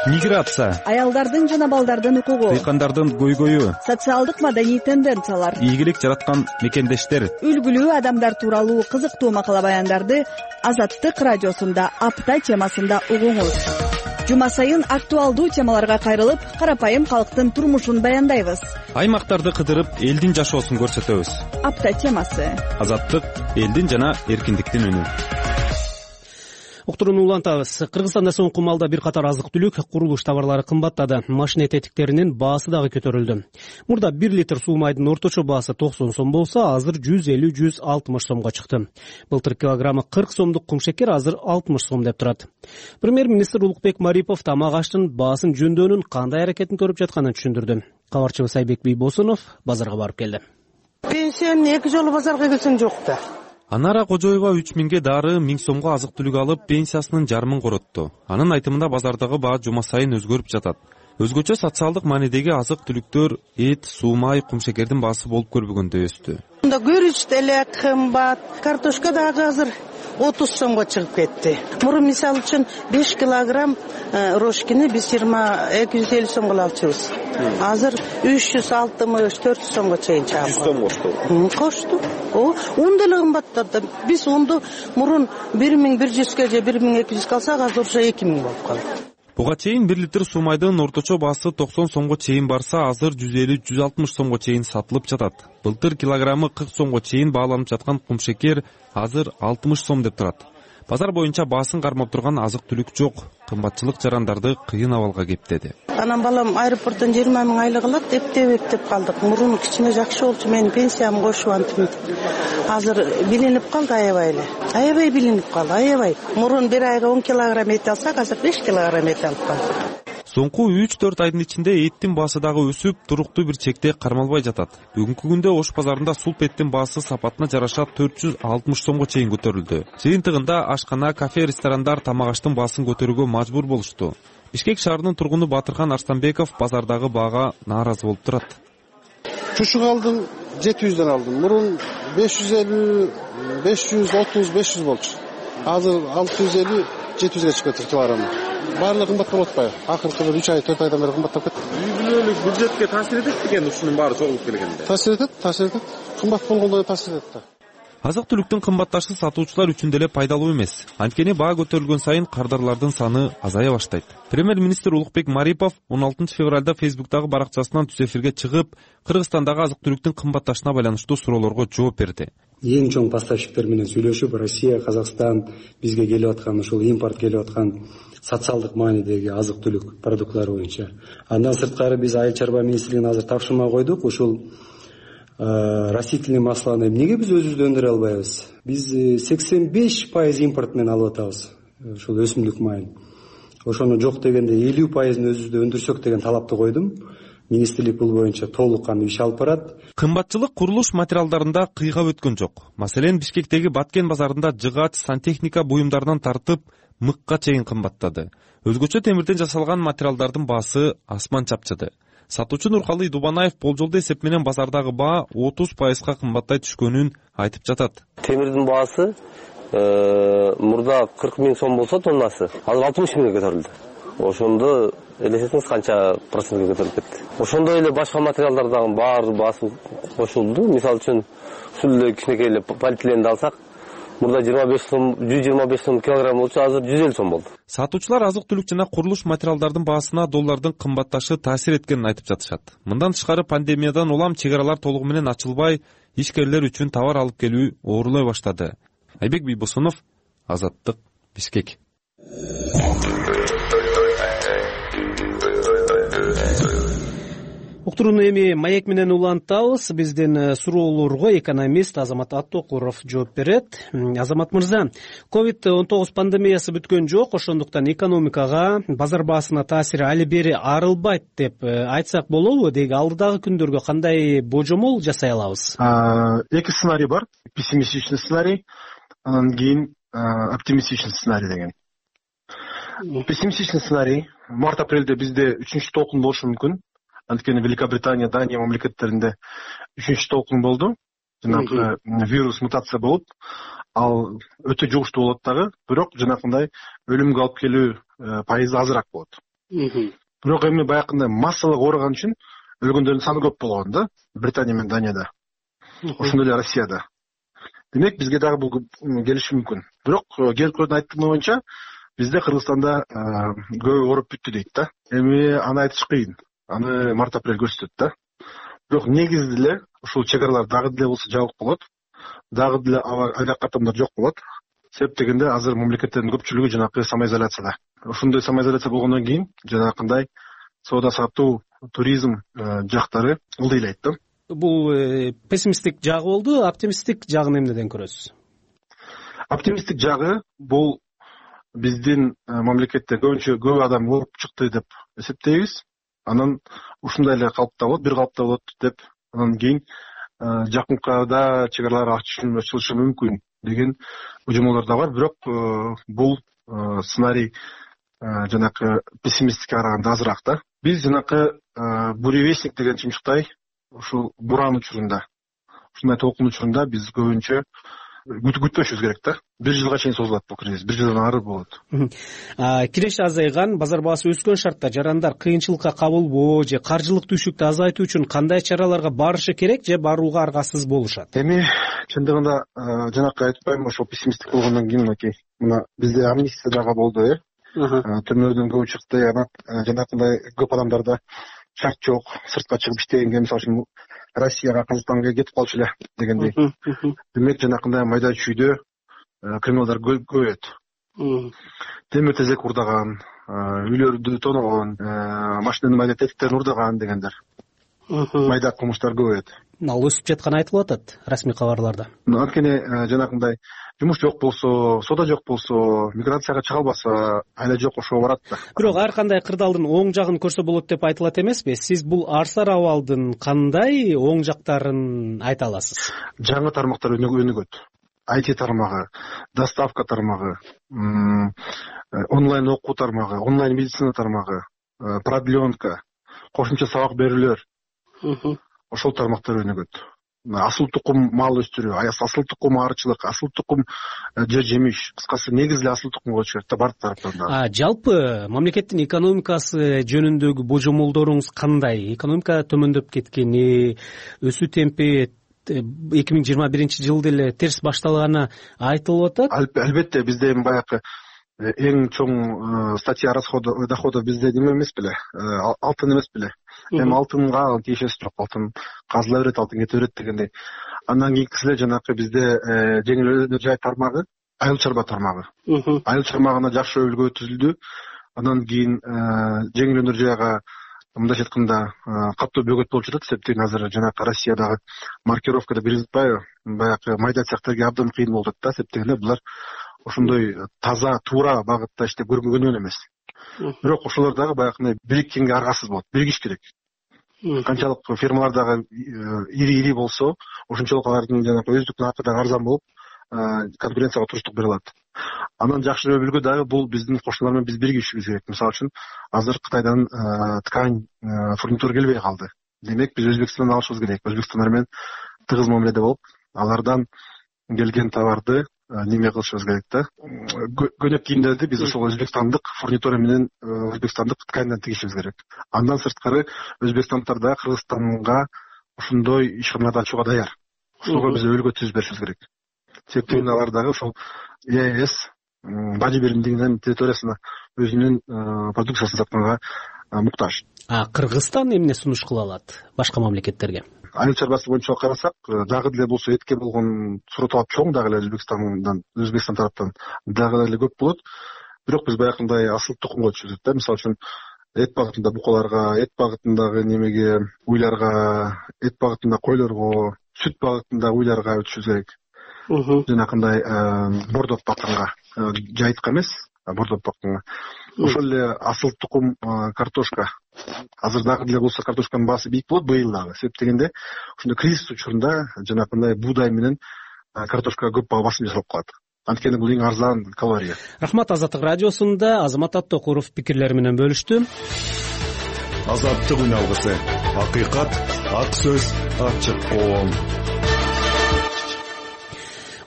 миграция, аялдардын жана балдардын укугу, дыйкандардын көйгөйү, социалдык маданий тенденциялар, ийгилик жараткан мекендештер, үлгүлүү адамдар тууралуу кызыктуу макала баяндарды Азаттык радиосунда апта темасында угуңуз. Жума сайын актуалдуу темаларга кайрылып, карапайым калктын турмушун баяндайбыз. Аймактарды кыдырып, элдин жашоосун көрсөтөбүз. Апта темасы. Азаттык элдин жана эркиндиктин үнү. Уктурууну улантабыз. Кыргызстанда соңку маалда бир катар азык-түлүк, курулуш товарлары кымбаттады. Машина тетиктеринин баасы дагы көтөрүлдү. Мурда бир литр суу майдын орточо баасы токсон сом болсо, азыр жүз элүү жүз алтымыш сомго чыкты. Былтыр килограммы кырк сомдук кумшекер азыр алтымыш сом деп турат. Премьер-министр Улукбек Марипов тамак аштын баасын жөндөөнүн кандай аракетин көрүп жатканын түшүндүрдү. Кабарчыбыз Айбек Бийбосунов базарга барып келди. Пенсияны эки жолу базарга келсең жок да. Анара Кожоева үч миңге дары, миң сомго азык-түлүк алып, пенсиясынын жарымын коротту. Анын айтымында базардагы баа жума сайын өзгөрүп жатат. Өзгөчө социалдык маанидеги азык-түлүктөр, эт, суу май, кумшекердин баасы болуп көрбөгөндөй өстү. Мында күрүч деле кымбат, картошка дагы азыр отуз сомго чыгып кетти. Мурун мисалы үчүн беш килограмм рошкини биз жыйырма эки жүз элүү сомго алчубуз. Азыр үч жүз алтымыш төрт жүз сомго чейин чыгат. жүз сом кошту. Кошту. О, ун деле кымбаттады. Биз унду мурун бир миң бир жүзгө же бир миң эки жүзгө алсак, азыр уже эки миң болуп калды. Буга чейин бир литр суу майдын орточо баасы токсон сомго чейин барса, азыр жүз элүү жүз алтымыш сомго чейин сатылып жатат. Былтыр килограммы кырк сомго чейин бааланып жаткан кумшекер азыр алтымыш сом деп турат. Базар боюнча баасын кармап турган азык-түлүк жок. Кымбатчылык жарандарды кыйын абалга кептеди. Анан балам аэропорттон жыйырма миң айлык алат, эптеп эптеп калдык. Мурун кичине жакшы болчу, менин пенсиям кошуп антип. Азыр билинип калды аябай эле. Аябай билинип калды, аябай. Мурун бир айга он килограмм эт алсак, азыр беш килограмм эт алып калдык. Соңку үч төрт айдын ичинде эттин баасы дагы өсүп, туруктуу бир чекте кармалбай жатат. Бүгүнкү күндө Ош базарында сулп эттин баасы сапатына жараша төрт жүз алтымыш сомго чейин көтөрүлдү. Жыйынтыгында ашкана, кафе, ресторандар тамак аштын баасын көтөрүүгө мажбур болушту. Бишкек шаарынын тургуну Батырхан Арстанбеков базардагы баага нааразы болуп турат. Чушук алдым, жети жүздөн алдым. Мурун беш жүз элүү, беш жүз отуз, беш жүз болчу. Азыр алты жүз элүү, жети жүзгө чыгып кетти килограммы. Баарлыгы кымбат болуп атпайбы? Акыркы бир үч ай, төрт айдан бери кымбаттап кетти. Үй бүлөлүк бюджетке таасир этет экен ушунун баары чогулуп келгенде. Таасир этет, таасир этет. Кымбат болгондо таасир этет да. Азык-түлүктүн кымбатташы сатуучулар үчүн деле пайдалуу эмес. Анткени баа көтөрүлгөн сайын кардарлардын саны азая баштайт. Премьер-министр Улукбек Марипов он алтынчы февралда Фейсбуктагы баракчасынан түз эфирге чыгып, Кыргызстандагы азык-түлүктүн кымбатташына байланыштуу суроолорго жооп берди. Эң чоң поставщиктер менен сүйлөшүп, Россия, Казакстан бизге келип аткан ушул импорт келип аткан социалдык маанидеги азык-түлүк продуктлары боюнча. Андан сырткары биз Айыл чарба министрлигине азыр тапшырма койдук. Ушул растительный масланы эмнеге биз өзүбүз өндүрө албайбыз? Биз сексен беш пайыз импорт менен алып атабыз. Ушул өсүмдүк майын. Ошону жок дегенде элүү пайызын өзүбүздө өндүрсөк деген талапты койдум. Министрлик бул боюнча толук кандуу иш алып барат. Кымбатчылык курулуш материалдарында кыйгап өткөн жок. Маселен, Бишкектеги Баткен базарында жыгач, сантехника буюмдарынан тартып мыкка чейин кымбаттады. Өзгөчө темирден жасалган материалдардын баасы асман чапчыды. Сатуучу Нуркалый Дубанаев болжолдуу эсеп менен базардагы баа отуз пайызга кымбаттай түшкөнүн айтып жатат. Темирдин баасы мурда кырк миң сом болсо тоннасы, азыр алтымыш миңге көтөрүлдү. Ошондо элестетиңиз канча процентке көтөрүлүп кетти. Ошондой эле башка материалдардагы баары баасы кошулду. Мисалы үчүн ушул эле кичинекей эле полиэтиленди алсак, мурда жыйырма беш сом, жүз жыйырма беш сом килограмм болчу, азыр жүз элүү сом болду. Сатуучулар азык-түлүк жана курулуш материалдардын баасына доллардын кымбатташы таасир эткенин айтып жатышат. Мындан тышкары пандемиядан улам чек аралар толугу менен ачылбай, ишкерлер үчүн товар алып келүү оорулой баштады. Айбек Бийбосунов, Азаттык, Бишкек. Уктурууну эми маек менен улантабыз. Биздин суроолорго экономист Азамат Аттокуров жооп берет. Азамат мырза, ковид он тогуз пандемиясы бүткөн жок, ошондуктан экономикага, базар баасына таасири али бери арылбайт деп айтсак болобу? Деги алдыдагы күндөргө кандай божомол жасай алабыз? Эки сценарий бар. Пессимистичный сценарий, анан кийин оптимистичный сценарий деген. Пессимистичный сценарий март-апрелде бизде үчүнчү толкун болушу мүмкүн. Анткени Великобритания, Дания мамлекеттеринде үчүнчү толкун болду. Жанагы вирус мутация болуп, ал өтө жугуштуу болот дагы, бирок жанакындай өлүмгө алып келүү пайызы азыраак болот. бирок эми баягындай массалык ооруган үчүн өлгөндөрдүн саны көп болгон да Британия менен Данияда, ошондой эле Россияда. Демек бизге дагы бул келиши мүмкүн. Бирок келгөндөрдүн айтканы боюнча бизде Кыргызстанда көбү ооруп бүттү дейт да. Эми аны айтыш кыйын. Аны март апрель көрсөтөт да. Бирок негизи деле ушул чек аралар дагы деле болсо жабык болот. Дагы деле айрак катымдар жок болот. Себеп дегенде азыр мамлекеттердин көпчүлүгү жанакы самоизоляцияда. Ошондой самоизоляция болгондон кийин жанакындай соода сатуу, туризм жактары ылдыйлайт да. Бул пессимисттик жагы болду, оптимисттик жагын эмнеден көрөсүз? Оптимисттик жагы бул биздин мамлекетте көбүнчө көп адам ооруп чыкты деп эсептейбиз. Анан ушундай эле калыпта болот, бир калыпта болот деп анан кийин жакынкыда чек аралар ачылышы мүмкүн деген божомолдор да бар. Бирок бул сценарий жанакы пессимисттикке караганда азыраак да. Биз жанакы буревестник деген чымчыктай ушул буран учурунда, ушундай толкун учурунда биз көбүнчө күтпөшүбүз керек да. Бир жылга чейин созулат бул кризис, бир жылдан ары болот. Киреш азайган, базар баасы өскөн шартта жарандар кыйынчылыкка кабылбоо же каржылык түйшүктү азайтуу үчүн кандай чараларга барышы керек же барууга аргасыз болушат? Эми чындыгында жанакы айтпайм, ошол пессимисттик болгондон кийин мынакей мына бизде амнистия дагы болду, э? Түрмөдөн көбү чыкты, анан жанакындай көп адамдарда шарт жок, сыртка чыгып иштегенге, мисалы үчүн Россияга, Казакстанга кетип калчу эле дегендей. Демек жанакындай майда чүйдө криминалдар көбөйөт. Темир тезек урдаган, үйлөрдү тоногон, машинанын майда тетиктерин урдаган дегендер. Майда кылмыштар көбөйөт. Ал өсүп жатканы айтылып атат расмий кабарларда. Анткени жанакындай жумуш жок болсо, соода жок болсо, миграцияга чыга албаса, айла жок ошого барат да. Бирок ар кандай кырдаалдын оң жагын көрсө болот деп айтылат эмеспи? Сиз бул арсар абалдын кандай оң жактарын айта аласыз? Жаңы тармактар өнүгөт. ай ти тармагы, доставка тармагы, онлайн окуу тармагы, онлайн медицина тармагы, продленка, кошумча сабак берүүлөр. Ошол тармактар өнүгөт. Асыл тукум мал өстүрүү, асыл тукум арчылык, асыл тукум жер жемиш, кыскасы негизи эле асыл тукумга өтүш керек да бар тараптан да. Жалпы мамлекеттин экономикасы жөнүндөгү божомолдоруңуз кандай? Экономика төмөндөп кеткени, өсүү темпи эки миң жыйырма биринчи жылда эле терс башталганы айтылып атат. Албетте, бизде эми баягы эң чоң статья расходов доходов бизде неме эмес беле, алтын эмес беле. Эми алтынга тиешеси жок, алтын казыла берет, алтын кете берет дегендей. Андан кийинкиси эле жанакы бизде жеңил өнөр жай тармагы, айыл чарба тармагы. Айыл чармагына жакшы өлгө түзүлдү. Андан кийин жеңил өнөр жайга мындайча айтканда катуу бөгөт болуп жатат. Себептен азыр жанакы Россиядагы маркировкада бир жатпайбы, баягы майда цехтерге абдан кыйын болуп жатат да. Себептен булар ошондой таза, туура багытта иштеп көргөн эмес. Бирок ошолор дагы баягындай бириккенге аргасыз болот, биригиш керек. Канчалык фермалар дагы ири-ири болсо, ошончолук алардын жанагы өздүк наркы дагы арзан болуп, конкуренцияга туруштук бере алат. Анан жакшы үлгү дагы бул биздин кошуналар менен биз биригишибиз керек. Мисалы үчүн азыр Кытайдан ткань, фурнитура келбей калды. Демек биз Өзбекстандан алышыбыз керек. Өзбекстандар менен тыгыз мамиледе болуп, алардан келген товарды неме кылышыбыз керек да. Көнөк кийимдерди биз ошол өзбекстандык фурнитура менен өзбекстандык тканьдан тигишибиз керек. Андан сырткары Өзбекстандтар да Кыргызстанга ошондой ишканаларды ачууга даяр. Ошого биз өлгө түзүп беришибиз керек. Себептен алар дагы ошол е эс бажы биримдигинин территориясына өзүнүн продукциясын сатканга муктаж. А Кыргызстан эмне сунуш кыла алат башка мамлекеттерге? Айыл чарбасы боюнча карасак, дагы деле болсо этке болгон суроо талап чоң дагы эле Өзбекстандан, Өзбекстан тараптан дагы деле көп болот. Бирок биз баягындай асыл тукумга өтүшүбүз керек да. Мисалы үчүн эт багытында букаларга, эт багытындагы немеге, уйларга, эт багытында койлорго, сүт багытында уйларга өтүшүбүз керек. Жанакындай бордоп бакканга, жайытка эмес, бордоп бакканга. Ошол эле асыл тукум картошка. Азыр дагы деле болсо картошканын баасы бийик болот быйыл дагы. Себеп дегенде ошондой кризис учурунда жанакындай буудай менен картошкага көп басым жасалып калат. Анткени бул эң арзан калория. Рахмат. Азаттык радиосунда Азамат Аттокуров пикирлери менен бөлүштү. Азаттык үн алгысы. Акыйкат, ак сөз, ачык коом.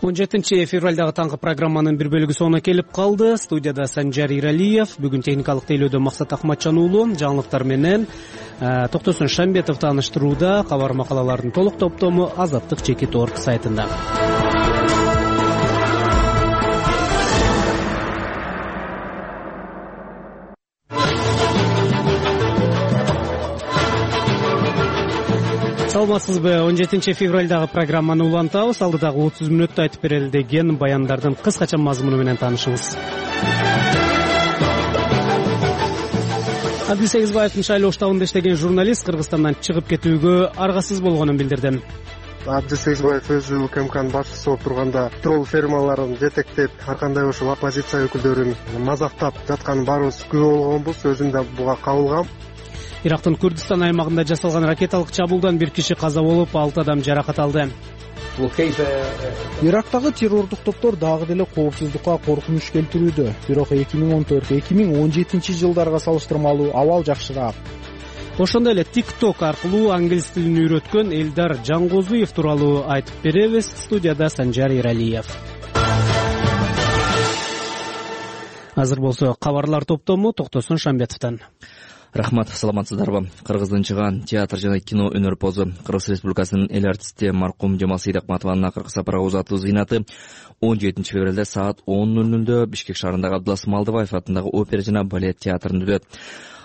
он жетинчи февралдагы таңкы программанын бир бөлүгү соңуна келип калды. Студияда Санжар Иралиев, бүгүн техникалык тейлөөдө Максат Акматжан уулу, жаңылыктар менен Токтосун Шамбетов тааныштырууда. Кабар макалалардын толук топтому азаттык чекит точка орг сайтында. Саламатсызбы? он жетинчи февралдагы программаны улантабыз. Алдыдагы отуз мүнөттө айтып берели деген баяндардын кыскача мазмуну менен таанышыңыз. Адил Сегизбаевдин шайлоо штабында иштеген журналист Кыргызстандан чыгып кетүүгө аргасыз болгонун билдирди. Адил Сегизбаев өзү УКМКнын башчысы болуп турганда тролл фермаларын жетектеп, ар кандай ошол оппозиция өкүлдөрүн мазактап жатканын баарыбыз күбө болгонбуз. Өзүм да буга кабылгам. Ирактын Курдистан аймагында жасалган ракеталык чабуулдан бир киши каза болуп, алты адам жаракат алды. Ирактагы террордук топтор дагы деле коопсуздукка коркунуч келтирүүдө. Бирок эки миң он төрт эки миң он жетинчи жылдарга салыштырмалуу абал жакшыраак. Ошондой эле TikTok аркылуу англис тилин үйрөткөн Элдар Жангозуев тууралуу айтып беребиз. Студияда Санжар Иралиев. Азыр болсо кабарлар топтому Токтосун Шамбетовдон. Рахмат, саламатсыздарбы? Кыргыздын чыган театр жана кино өнөрпозу Кыргыз Республикасынын эл артисти маркум Жамал Сейдакматованын акыркы сапарга узатуу зыйнаты он жетинчи февралда саат он ноль нолдо Бишкек шаарындагы Абдылас Малдыбаев атындагы опера жана балет театрында өтөт.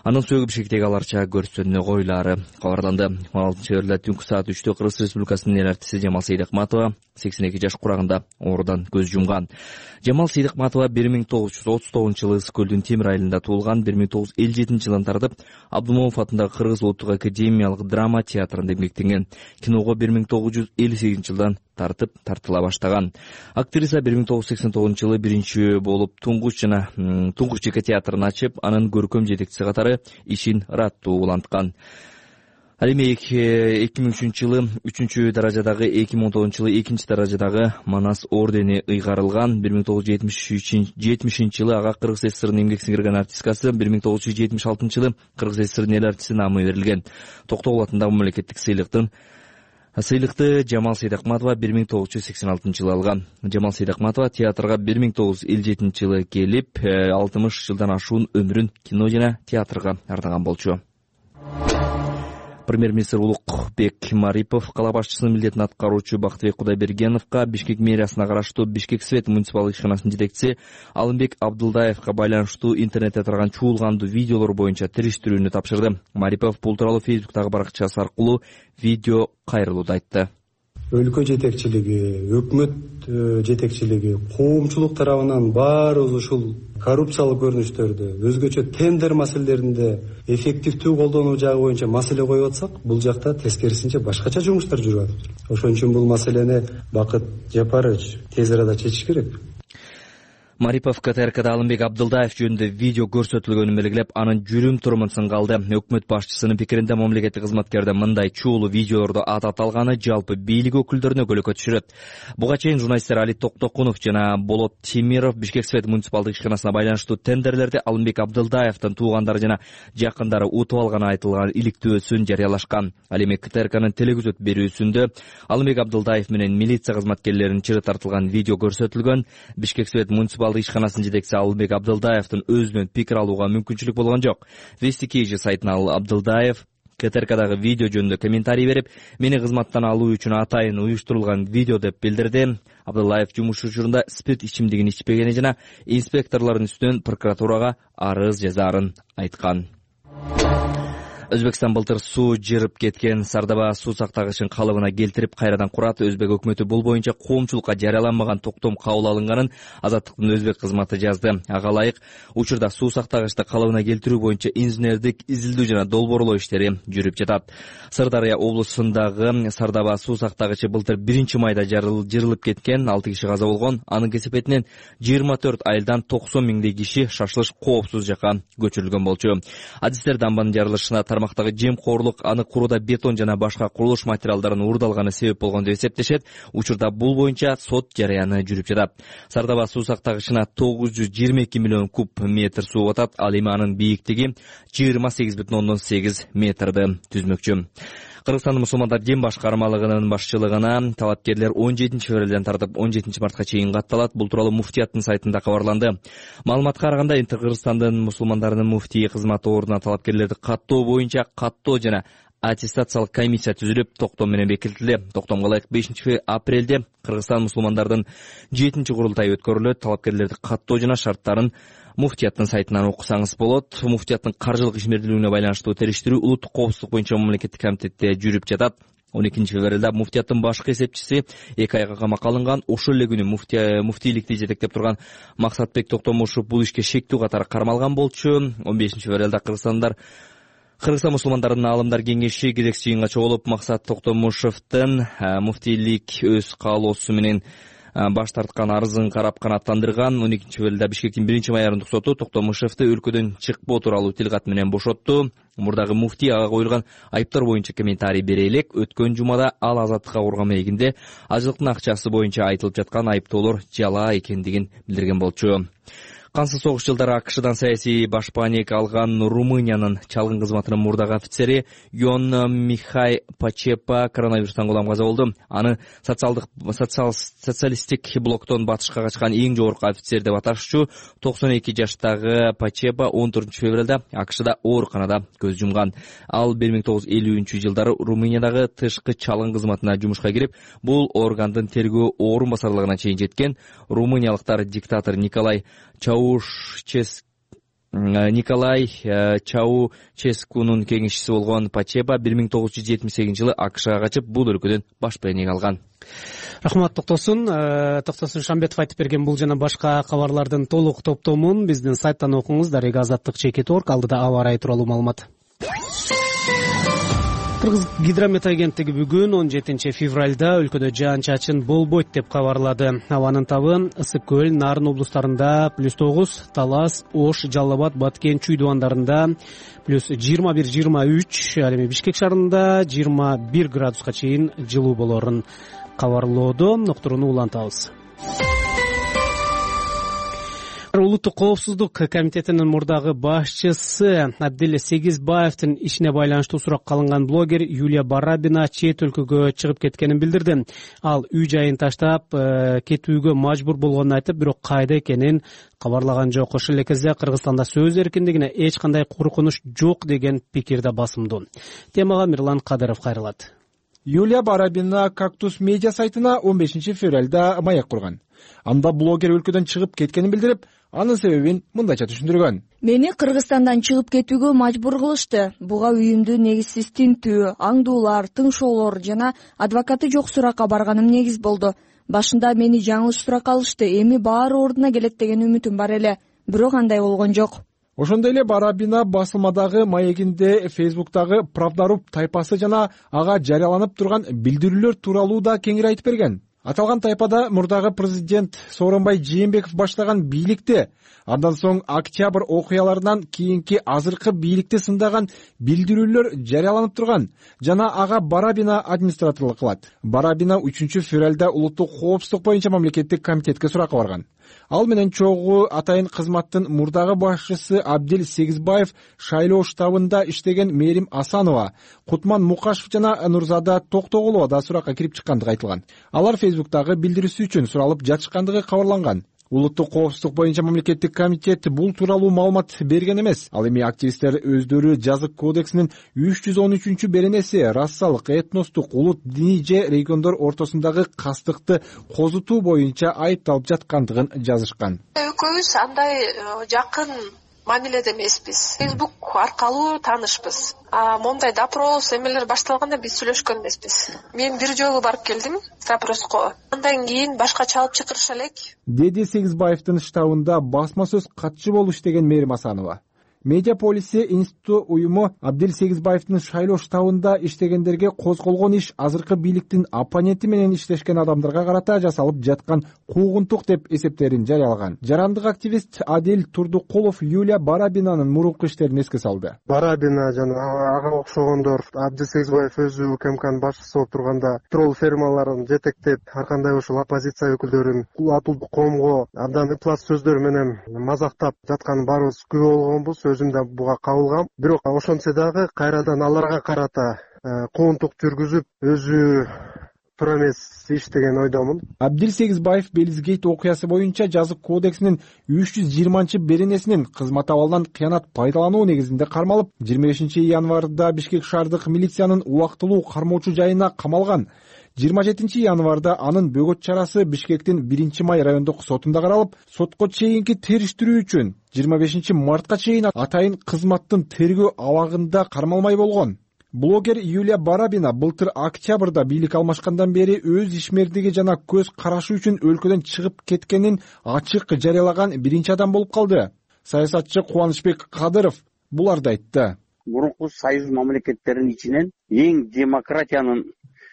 Анын сөөгү Бишкектеги аларча көрсөтөнөгөйлары кабарланды. он алтынчы февралда түнкү саат үчтө Кыргыз Республикасынын эл артисти Жамал Сейдакматова сексен эки жаш курагында оорудан көз жумган. Жамал Сейдакматова бир миң тогуз жүз отуз тогузунчу жылы Ысык көлдүн Темир айылында туулган. бир миң тогуз жүз элүү жетинчи жылдан тартып Абдумомов атындагы Кыргыз улуттук академиялык драма театрында эмгектенген. Киного бир миң тогуз жүз элүү сегизинчи жылдан тартып тартыла баштаган. Актриса бир миң тогуз жүз сексен тогузунчу жылы биринчи болуп Туңгуч жана Туңгуч жеке театрын ачып, анын көркөм жетекчиси катары ишин ыраттуу уланткан. Ал эми эки миң үчүнчү жылы үчүнчү даражадагы, эки миң он тогузунчу жылы экинчи даражадагы Манас ордени ыйгарылган. бир миң тогуз жүз жетимишинчи жылы ага Кыргыз ССРнын эмгек сиңирген артисткасы, бир миң тогуз жүз жетимиш алтынчы жылы Кыргыз ССРнын эл артисти наамы берилген. Токтогул атындагы мамлекеттик сыйлыктын Сыйлыкты Жамал Сейдакматова бир миң тогуз жүз сексен алтынчы жылы алган. Жамал Сейдакматова театрга бир миң тогуз жүз элүү жетинчи жылы келип, алтымыш жылдан ашуун өмүрүн кино жана театрга ардаган болчу. Премьер-министр Улукбек Марипов кала башчысынын милдетин аткаруучу Бактыбек Кудайбергеновго Бишкек мэриясына караштуу Бишкек Свет муниципалдык ишканасынын жетекчиси Алымбек Абдылдаевга байланыштуу интернетте тараган чуулгандуу видеолор боюнча териштирүүнү тапшырды. Марипов бул тууралуу Фейсбуктагы баракчасы аркылуу видео кайрылууда айтты. Өлкө жетекчилиги, өкмөт жетекчилиги, коомчулук тарабынан баарыбыз ушул коррупциялык көрүнүштөрдү, өзгөчө тендер маселелеринде эффективдүү колдонуу жагы боюнча маселе коюп атсак, бул жакта тескерисинче башкача жумуштар жүрүп атат. Ошон үчүн бул маселени Бакыт Жапарович тез арада чечиш керек. Марипов КТРКда Алымбек Абдылдаев жөнүндө видео көрсөтүлгөнүн белгилеп, анын жүрүм турумун сынгалды. Өкмөт башчысынын пикиринде мамлекеттик кызматкердин мындай чуулуу видеолорду атат алганы жалпы бийлик өкүлдөрүнө көйгөй түшүрөт. Буга чейин журналисттер Али Токтокунов жана Болот Темиров Бишкек Свет муниципалдык ишканасына байланыштуу тендерлерди Алымбек Абдылдаевдин туугандары жана жакындары утуп алганы айтылган иликтөөсүн жарыялашкан. Ал эми КТРКнын телегөзөт берүүсүндө Алымбек Абдылдаев менен милиция кызматкерлеринин чыры тартылган видео көрсөтүлгөн. Бишкек Свет муниципалдык ишканасынын жетекчиси Алымбек Абдылдаевдин өзүнөн пикир алууга мүмкүнчүлүк болгон жок. Вестикейжи сайтына ал Абдылдаев КТРКдагы видео жөнүндө комментарий берип, мени кызматтан алуу үчүн атайын уюштурулган видео деп билдирди. Абдылдаев жумуш учурунда спирт ичимдигин ичпегени жана инспекторлордун үстүнөн прокуратурага арыз жазаарын айткан. Өзбекстан былтыр суу жырып кеткен Сардаба суу сактагычын калыбына келтирип кайрадан курат. Өзбек өкмөтү бул боюнча коомчулукка жарыяланмаган токтом кабыл алынганын Азаттыктын өзбек кызматы жазды. Ага ылайык, учурда суу сактагычты калыбына келтирүү боюнча инженердик изилдөө жана долбоорлоо иштери жүрүп жатат. Сырдарыя облусундагы Сардаба суу сактагычы былтыр биринчи майда жырылып кеткен, алты киши каза болгон. Анын кесепетинен жыйырма төрт айылдан токсон миңдей киши шашылыш коопсуз жакка көчүрүлгөн болчу. Адистер дамбанын жарылышына тармактагы жемкорлук аны курууда бетон жана башка курулуш материалдарын уурдалганы себеп болгон деп эсептешет. Учурда бул боюнча сот жарыяны жүрүп жатат. Сардаба суу сактагычына тогуз жүз жыйырма эки миллион куб метр суу батат. Ал эми анын бийиктиги жыйырма сегиз бүтүн ондон сегиз метрди түзмөкчү. Кыргызстандын мусулмандар дин башкармалыгынын башчылыгына талапкерлер он жетинчи февралдан тартып он жетинчи мартка чейин катталат. Бул тууралуу муфтияттын сайтында кабарланды. Маалыматка караганда Кыргызстандын мусулмандарынын муфтии кызматы ордуна талапкерлерди каттоо боюнча каттоо жана аттестациялык комиссия түзүлүп, токтом менен бекитилди. Токтомго ылайык бешинчи апрелде Кыргызстан мусулмандардын жетинчи курултайы өткөрүлөт. Талапкерлерди каттоо жана шарттарын муфтияттын сайтынан окусаңыз болот. Муфтияттын каржылык ишмердүүлүгүнө байланыштуу териштирүү улуттук коопсуздук боюнча мамлекеттик комитетте жүрүп жатат. он экинчи февралда муфтияттын башкы эсепчиси эки айга камакка алынган. Ошол эле күнү муфтийликти жетектеп турган Максатбек Токтомушев бул ишке шектүү катары кармалган болчу. он бешинчи февралда Кыргызстандар Кыргызстан мусулмандарынын аалымдар кеңеши кезекчи жыйынга чогулуп, Максат Токтомушевдин муфтийлик өз каалоосу менен баш тарткан арызын карап канааттандырган. он экинчи февралда Бишкектин биринчи майордук соту Токтомушевди өлкөдөн чыкпоо тууралуу тилкат менен бошотту. Мурдагы муфтий ага коюлган айыптар боюнча комментарий бере элек. Өткөн жумада ал азаттыкка курган маегинде ажылыктын акчасы боюнча айтылып жаткан айыптоолор жалаа экендигин билдирген болчу. Кансыз согуш жылдары АКШдан саясий башпаанек алган Румыниянын чалгын кызматынын мурдагы офицери Йон Михай Пачепа коронавирустан кулам каза болду. Аны социалдык социалисттик блоктон батышка качкан эң жогорку офицер деп аташчу токсон эки жаштагы Пачепа он төртүнчү февралда АКШда ооруканада көз жумган. Ал бир миң тогуз жүз элүүнчү жылдары Румыниядагы тышкы чалгын кызматына жумушка кирип, бул органдын тергөө орун басарлыгына чейин жеткен. Румыниялыктар диктатор Николай Чаушчес Николай Чаушческунун кеңешчиси болгон Пачепа бир миң тогуз жүз жетимиш сегизинчи жылы АКШга качып, бул өлкөдөн башпаанек алган. Рахмат Токтосун. Токтосун Шамбетов айтып берген бул жана башка кабарлардын толук топтомун биздин сайттан окуңуз. Дарега Азаттык чекит точка орг. Алдыда аба ырайы тууралуу маалымат. Кыргыз гидромет агенттиги бүгүн он жетинчи февралда өлкөдө жаан-чачын болбойт деп кабарлады. Абанын табы Ысык көл, Нарын облустарында плюс тогуз, Талас, Ош, Жалал Абад, Баткен, Чүй дубандарында плюс жыйырма бир жыйырма үч, ал эми Бишкек шаарында жыйырма бир градуска чейин жылуу болорун кабарлоодо. Ноктуруну улантабыз. Улуттук коопсуздук комитетинин мурдагы башчысы Абдил Сегизбаевдин ишине байланыштуу суракка алынган блогер Юлия Барабина чет өлкөгө чыгып кеткенин билдирди. Ал үй жайын таштап кетүүгө мажбур болгонун айтып, бирок кайда экенин кабарлаган жок. Ошол эле кезде Кыргызстанда сөз эркиндигине эч кандай коркунуч жок деген пикирде басымдуу. Темага Мирлан Кадыров кайрылат. Юлия Барабина Кактус медиа сайтына он бешинчи февралда маек курган. Анда блогер өлкөдөн чыгып кеткенин билдирип, анын себебин мындайча түшүндүргөн. Мени Кыргызстандан чыгып кетүүгө мажбур кылышты. Буга үйүмдү негизсиз тинтүү, аңдуулар, тыңшоолор жана адвокаты жок суракка барганым негиз болду. Башында мени жаңылыш суракка алышты. Эми баары ордуна келет деген үмүтүм бар эле. Бирок андай болгон жок. Ошондой эле Барабина басылмадагы маегинде Фейсбуктагы Правдаруб тайпасы жана ага жарыяланып турган билдирүүлөр тууралуу да кеңири айтып берген. Аталган тайпада мурдагы президент Сооронбай Жээнбеков баштаган бийликти, андан соң октябрь окуяларынан кийинки азыркы бийликти сындаган билдирүүлөр жарыяланып турган жана ага Барабина администраторлук кылат. Барабина үчүнчү февралда улуттук коопсуздук боюнча мамлекеттик комитетке суракка барган. Ал менен чогуу атайын кызматтын мурдагы башчысы Абдил Сегизбаев, шайлоо штабында иштеген Мерим Асанова, Кутман Мукашев жана Нурзада Токтогулова да суракка кирип чыккандыгы айтылган. Алар Фейсбуктагы билдирүүсү үчүн суралып жатышкандыгы кабарланган. Улуттук коопсуздук боюнча мамлекеттик комитет бул тууралуу маалымат берген эмес. Ал эми активисттер өздөрү жазык кодексинин үч жүз он үчүнчү беренеси рассалык, этностук, улут, диний же региондор ортосундагы кастыкты козутуу боюнча айыпталып жаткандыгын жазышкан. Экөөбүз андай жакын мамиледе эмеспиз. Фейсбук аркылуу таанышпыз. А мондай допрос эмелер башталганда биз сүйлөшкөн эмеспиз. Мен бир жолу барып келдим допроско. Андан кийин башкача алып чакырыша элек. Деди Сегизбаевдин штабында басма сөз катчы болуп иштеген Мерим Асанова. Медиа полиси институту уюму Абдил Сегизбаевдин шайлоо штабында иштегендерге козголгон иш азыркы бийликтин оппоненти менен иштешкен адамдарга карата жасалып жаткан куугунтук деп эсептерин жарыялаган. Жарандык активист Адил Турдукулов Юлия Барабинанын мурунку иштерин эске салды. Барабина жана ага окшогондор Абдил Сегизбаев өзү УКМКнын башчысы болуп турганда тролл фермаларын жетектеп, ар кандай ушул оппозиция өкүлдөрүн атылдуу коомго абдан ыплас сөздөр менен мазактап жатканын баарыбыз күбө болгонбуз. Өзүм да буга кабылгам. Бирок ошентсе дагы кайрадан аларга карата коомдук жүргүзүп өзү туура эмес иш деген ойдомун. Абдил Сегизбаев Белизгейт окуясы боюнча жазык кодексинин үч жүз жыйырманчы беренесинин кызмат абалынан кыянат пайдалануу негизинде кармалып, жыйырма бешинчи январда Бишкек шаардык милициянын убактылуу кармоочу жайына камалган. жыйырма жетинчи январда анын бөгөт чарасы Бишкектин биринчи май райондук сотунда каралып, сотко чейинки териштирүү үчүн жыйырма бешинчи мартка чейин атайын кызматтын тергөө абагында кармалмай болгон. Блогер Юлия Барабина былтыр октябрда бийлик алмашкандан бери өз ишмердиги жана көз карашы үчүн өлкөдөн чыгып кеткенин ачык жарыялаган биринчи адам болуп калды. Саясатчы Кубанычбек Кадыров буларды айтты. Мурунку союз мамлекеттеринин ичинен эң демократиянын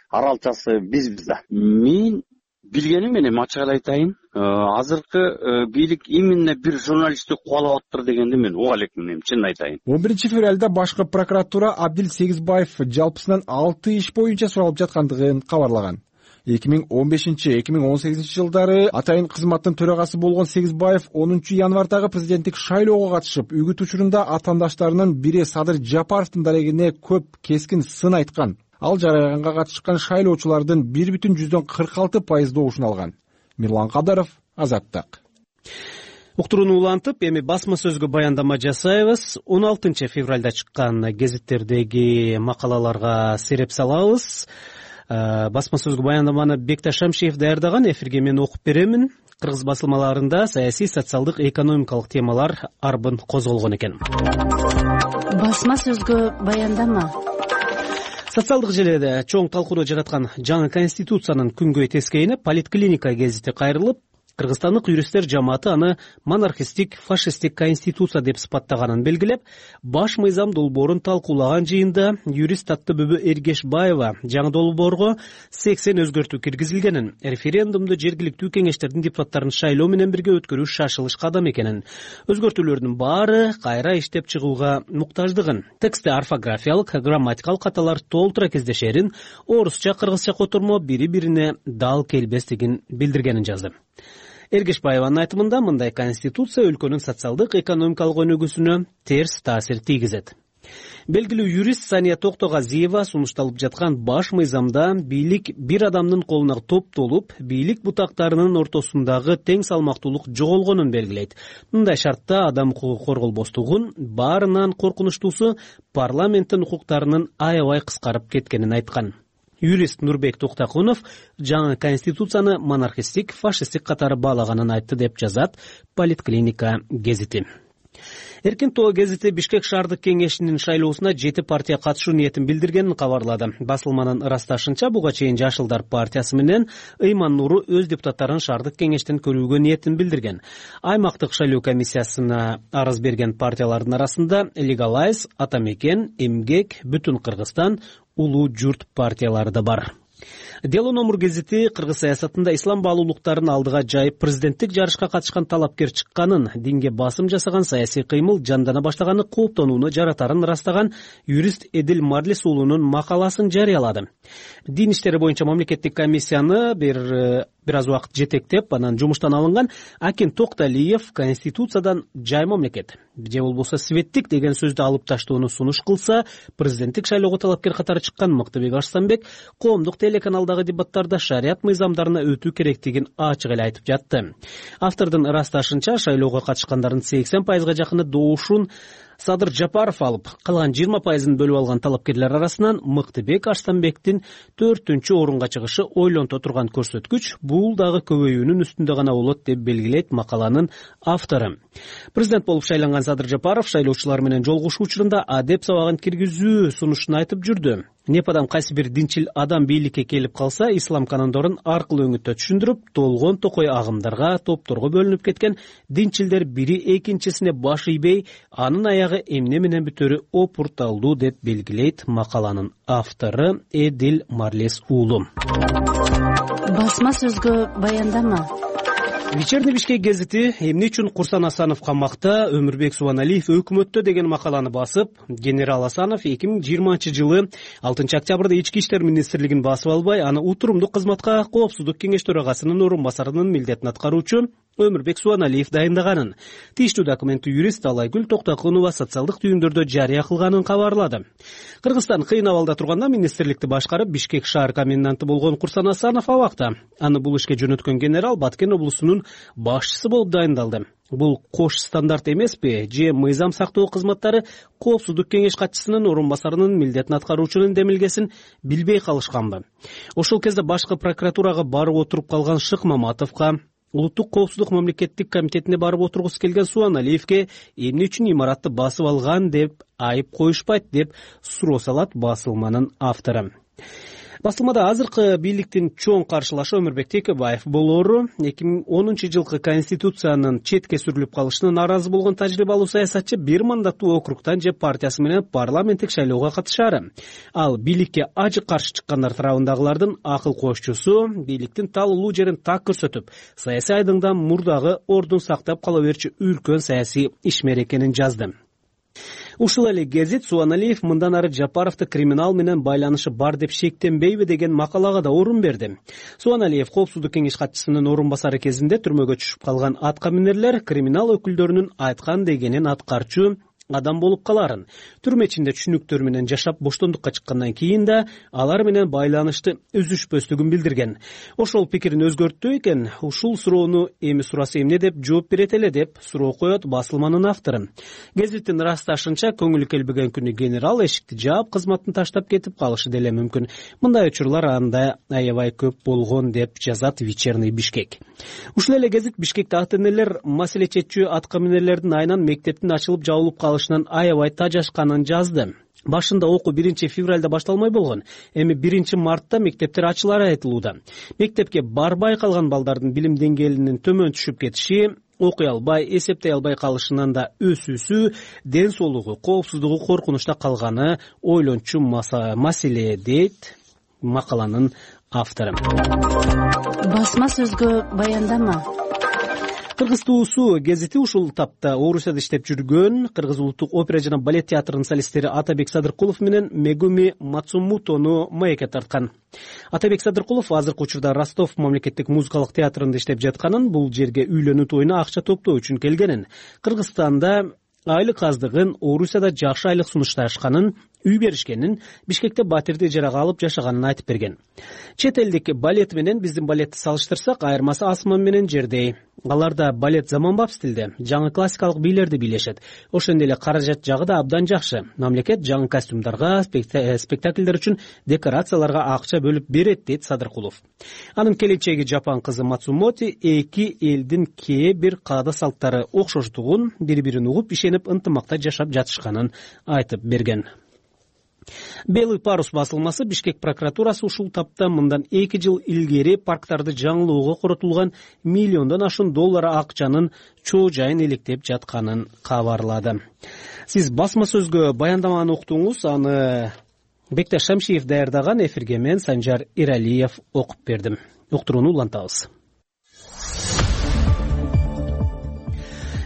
аралчасы бизбиз да. Мен билгеним менен ачык эле айтайын, азыркы бийлик именно бир журналистти кубалап атыптыр дегенди мен уга элекмин, эми чынын айтайын. он биринчи февралда башкы прокуратура Абдил Сегизбаев жалпысынан алты иш боюнча суралып жаткандыгын кабарлаган. эки миң он бешинчи эки миң он сегизинчи жылдары атайын кызматтын төрагасы болгон Сегизбаев онунчу январдагы президенттик шайлоого катышып, үгүт учурунда атаандаштарынын бири Садыр Жапаровдун дарегине көп кескин сын айткан. Ал жарыяганга катышкан шайлоочулардын бир бүтүн жүздөн кырк алты пайыз добушун алган. Мирлан Кадаров, Азаттык. Уктурууну улантып, эми басма сөзгө баяндама жасайбыз. он алтынчы февралда чыккан гезиттердеги макалаларга сереп салабыз. Басма сөзгө баяндаманы Бекташ Шамшиев даярдаган. Эфирге мен окуп беремин. Кыргыз басылмаларында саясий, социалдык, экономикалык темалар арбын козголгон экен. Басма сөзгө баяндама. Социалдык желеде чоң талкууну жараткан жаңы конституциянын күнгөй тескейине Политклиника гезити кайрылып, кыргызстандык юристтер жамааты аны монархистик, фашисттик конституция деп сыпаттаганын белгилеп, баш мыйзам долбоорун талкуулаган жыйында юрист Таттыбүбү Эргешбаева жаңы долбоорго сексен өзгөртүү киргизилгенин, референдумду жергиликтүү кеңештердин депутаттарын шайлоо менен бирге өткөрүү шашылыш кадам экенин, өзгөртүүлөрдүн баары кайра иштеп чыгууга муктаждыгын, текстте орфографиялык, грамматикалык каталар толтура кездешерин, орусча, кыргызча котормо бири-бирине дал келбестигин билдиргенин жазды. Эргешбаеванын айтымында мындай конституция өлкөнүн социалдык, экономикалык өнүгүүсүнө терс таасир тийгизет. Белгилүү юрист Сания Токтогазиева сунушталып жаткан баш мыйзамда бийлик бир адамдын колуна топтолуп, бийлик бутактарынын ортосундагы тең салмактуулук жоголгонун белгилейт. Мындай шартта адам укугу корголбостугун, баарынан коркунучтуусу парламенттин укуктарынын аябай кыскарып кеткенин айткан. Юрист Нурбек Токтакунов жаңы конституцияны монархистик, фашисттик катары баалаганын айтты деп жазат Политклиника гезити. Эркин тоо гезити Бишкек шаардык кеңешинин шайлоосуна жети партия катышуу ниетин билдиргенин кабарлады. Басылманын ырасташынча, буга чейин Жашылдар партиясы менен Ыйман Нуру өз депутаттарын шаардык кеңештен көрүүгө ниетин билдирген. Аймактык шайлоо комиссиясына арыз берген партиялардын арасында Легалайз, Атамекен, Эмгек, Бүтүн Кыргызстан, Улуу журт партиялары да бар. Дело номер гезити кыргыз саясатында ислам баалуулуктарын алдыга жайып президенттик жарышка катышкан талапкер чыкканын, динге басым жасаган саясий кыймыл жандана баштаганы кооптонууну жаратарын ырастаган юрист Эдил Марлис уулунун макаласын жарыялады. Дин иштери боюнча мамлекеттик комиссияны бир бир аз убакыт жетектеп, анан жумуштан алынган Акин Токталиев конституциядан жай мамлекет, же болбосо светтик деген сөздү алып таштоону сунуш кылса, президенттик шайлоого талапкер катары чыккан Мыктыбек Арстанбек коомдук телеканалдагы дебаттарда шарият мыйзамдарына өтүү керектигин ачык эле айтып жатты. Автордун ырасташынча, шайлоого катышкандардын сексен пайызга жакыны добушун Садыр Жапаров алып, калган жыйырма пайызын бөлүп алган талапкерлер арасынан Мыктыбек Арстанбектин төртүнчү орунга чыгышы ойлонто турган көрсөткүч, бул дагы көбөйүүнүн үстүндө гана болот деп белгилейт макаланын автору. Президент болуп шайланган Садыр Жапаров шайлоочулар менен жолугушуу учурунда адеп сабагын киргизүү сунушун айтып жүрдү. Непадан кайсы бир динчил адам бийликке келип калса, ислам канондорун аркылуу өңүттө түшүндүрүп, толгон токой агымдарга, топторго бөлүнүп кеткен динчилдер бири экинчисине баш ийбей, анын аягы эмне менен бүтөрү опурталдуу деп белгилейт макаланын автору Эдил Марлис уулу. Басма сөзгө баяндама. Вечерний Бишкек гезити эмне үчүн Курсан Асанов камакта, Өмүрбек Субаналиев өкмөттө деген макаланы басып, генерал Асанов эки миң жыйырманчы жылы алтынчы октябрда Ички иштер министрлигин басып албай, аны утурумдук кызматка Коопсуздук кеңеш төрагасынын орун басарынын милдетин аткаруучу Өмүрбек Суаналиев дайындаганын. Тийиштүү документти юрист Алайгүл Токтокунова социалдык түйүндөрдө жарыя кылганын кабарлады. Кыргызстан кыйын абалда турганда министрликти башкарып, Бишкек шаар коменданты болгон Курсан Асанов абакта. Аны бул ишке жөнөткөн генерал Баткен облусунун башчысы болуп дайындалды. Бул кош стандарт эмеспи? Же мыйзам сактоо кызматтары Коопсуздук кеңеш катчысынын орун басарынын милдетин аткаруучунун демилгесин билбей калышканбы? Ошол кезде башкы прокуратурага барып отуруп калган Шык Маматовго, Улуттук коопсуздук мамлекеттик комитетине барып отургусу келген Суаналиевге эмне үчүн имаратты басып алган деп айып коюшпайт деп суроо салат басылманын автору. Басылмада азыркы бийликтин чоң каршылашы Өмүрбек Текебаев болору эки миң онунчу жылкы конституциянын четке сүрүлүп калышына нааразы болгон тажрыйбалуу саясатчы бир мандаттуу округтан же партиясы менен парламенттик шайлоого катышары. Ал бийликке ажык каршы чыккандар тарабындагылардын акыл кошчусу, бийликтин талуулуу жерин так көрсөтүп, саясий айдыңда мурдагы ордун сактап кала берчү үлкөн саясий ишмер экенин жазды. Ушул эле гезит Суаналиев мындан ары Жапаровду криминал менен байланышы бар деп шектенбейби деген макалага да орун берди. Суаналиев Коопсуздук кеңеш катчысынын орун басары кезинде түрмөгө түшүп калган аткаминерлер криминал өкүлдөрүнүн айткан дегенин аткарчу адам болуп каларын, түрмө ичинде түшүнүктөр менен жашап боштондукка чыккандан кийин да алар менен байланышты үзүшпөстүгүн билдирген. Ошол пикирин өзгөрттү экен. Ушул суроону эми сураса эмне деп жооп берет эле деп суроо коет басылманын автору. Гезиттин ырасташынча, көңүлү келбеген күнү генерал эшикти жаап, кызматын таштап кетип калышы деле мүмкүн. Мындай учурлар анда аябай көп болгон деп жазат Вечерний Бишкек. Ушул эле гезит Бишкекте ата энелер маселе чечүү аткаминерлердин айынан мектептин ачылып жабылып калышынан аябай тажашканын жазды. Башында окуу биринчи февралда башталмай болгон. Эми биринчи мартта мектептер ачылары айтылууда. Мектепке барбай калган балдардын билим деңгээлинин төмөн түшүп кетиши, окуй албай, эсептей албай калышынан да өсүүсү, ден соолугу, коопсуздугу коркунучта калганы ойлончу маселе дейт макаланын автору. Басма сөзгө баяндама. Кыргыз туусу гезити ушул тапта Орусияда иштеп жүргөн Кыргыз улуттук опера жана балет театрынын солисттери Атабек Садыркулов менен Мегуми Мацумутону маекке тарткан. Атабек Садыркулов азыркы учурда Ростов мамлекеттик музыкалык театрында иштеп жатканын, бул жерге үйлөнүү тоюна акча топтоо үчүн келгенин, Кыргызстанда айлык аздыгын, Орусияда жакшы айлык сунушташканын, үй беришкенин, Бишкекте батирди ижарага алып жашаганын айтып берген. Чет элдик балет менен биздин балетти салыштырсак, айырмасы асман менен жердей. Аларда балет заманбап стилде, жаңы классикалык бийлерди бийлешет. Ошондой эле каражат жагы да абдан жакшы. Мамлекет жаңы костюмдарга, спектакльдер үчүн декорацияларга акча бөлүп берет, дейт Садыркулов. Анын келинчеги Жапан кызы Мацумоти эки элдин кээ бир каада салттары окшоштугун, бири-бирин угуп, ишенип, ынтымакта жашап жатышканын айтып берген. Белый парус басылмасы Бишкек прокуратурасы ушул тапта мындан эки жыл илгери парктарды жаңылоого коротулган миллиондон ашуун доллар акчанын чоо жайын иликтеп жатканын кабарлады. Сиз басма сөзгө баяндаманы уктуңуз, аны Бекташ Шамшиев даярдаган, эфирге мен Санжар Иралиев окуп бердим. Уктурууну улантабыз.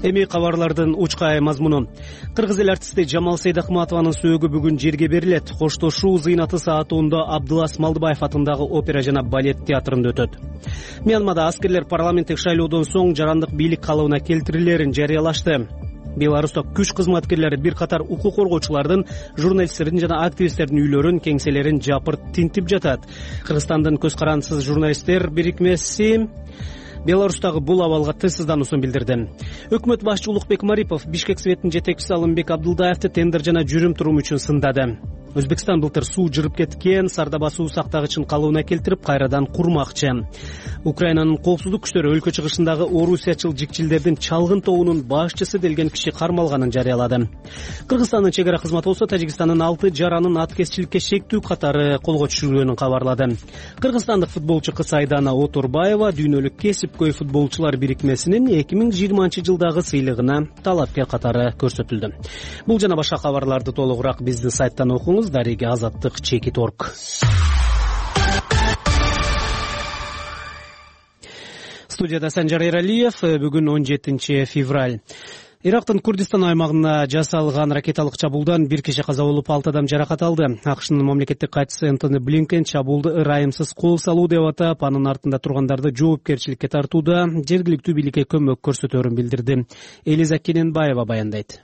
Эми кабарлардын учкай мазмуну. Кыргыз эл артисти Жамал Сейдахматованын сөөгү бүгүн жерге берилет. Коштошуу зыйнаты саат онда Абдылас Малдыбаев атындагы опера жана балет театрында өтөт. Мьянмада аскерлер парламенттик шайлоодон соң жарандык бийлик калыбына келтирилерин жарыялашты. Беларуста күч кызматкерлери бир катар укук коргоочулардын, журналисттердин жана активисттердин үйлөрүн, кеңселерин жапырт тинтип жатат. Кыргызстандын көз карандысыз журналисттер бирикмеси Беларустагы бул абалга тынчсыздануусун билдирди. Өкмөт башчы Улукбек Марипов Бишкек Светинин жетекчиси Алымбек Абдылдаевди тендер жана жүрүм-турум үчүн сындады. Өзбекстан былтыр суу жырып кеткен Сардаба суу сактагычын калыбына келтирип кайрадан курмакчы. Украинанын коопсуздук күчтөрү өлкө чыгышындагы орусиячыл жикчилдердин чалгын тобунун башчысы делген киши кармалганын жарыялады. Кыргызстандын чек ара кызматы болсо Тажикстандын алты жаранын аткезчиликке шектүү катары колго түшүрүлгөнүн кабарлады. Кыргызстандык футболчу кыз Айдана Оторбаева дүйнөлүк кесипкөй футболчулар бирикмесинин эки миң жыйырманчы жылдагы сыйлыгына талапкер катары көрсөтүлдү. Бул жана башка кабарларды толугураак биздин сайттан окуңуз. Дареги азаттык чекит точка орг. Студияда Санжар Иралиев. Бүгүн он жетинчи февраль. Ирактын Курдистан аймагына жасалган ракеталык чабуулдан бир киши каза болуп, алты адам жаракат алды. АКШнын мамлекеттик катчысы Энтони Блинкен чабуулду ырайымсыз кол салуу деп атап, анын артында тургандарды жоопкерчиликке тартууда жергиликтүү бийликке көмөк көрсөтөөрүн билдирди. Элиза Кененбаева баяндайт.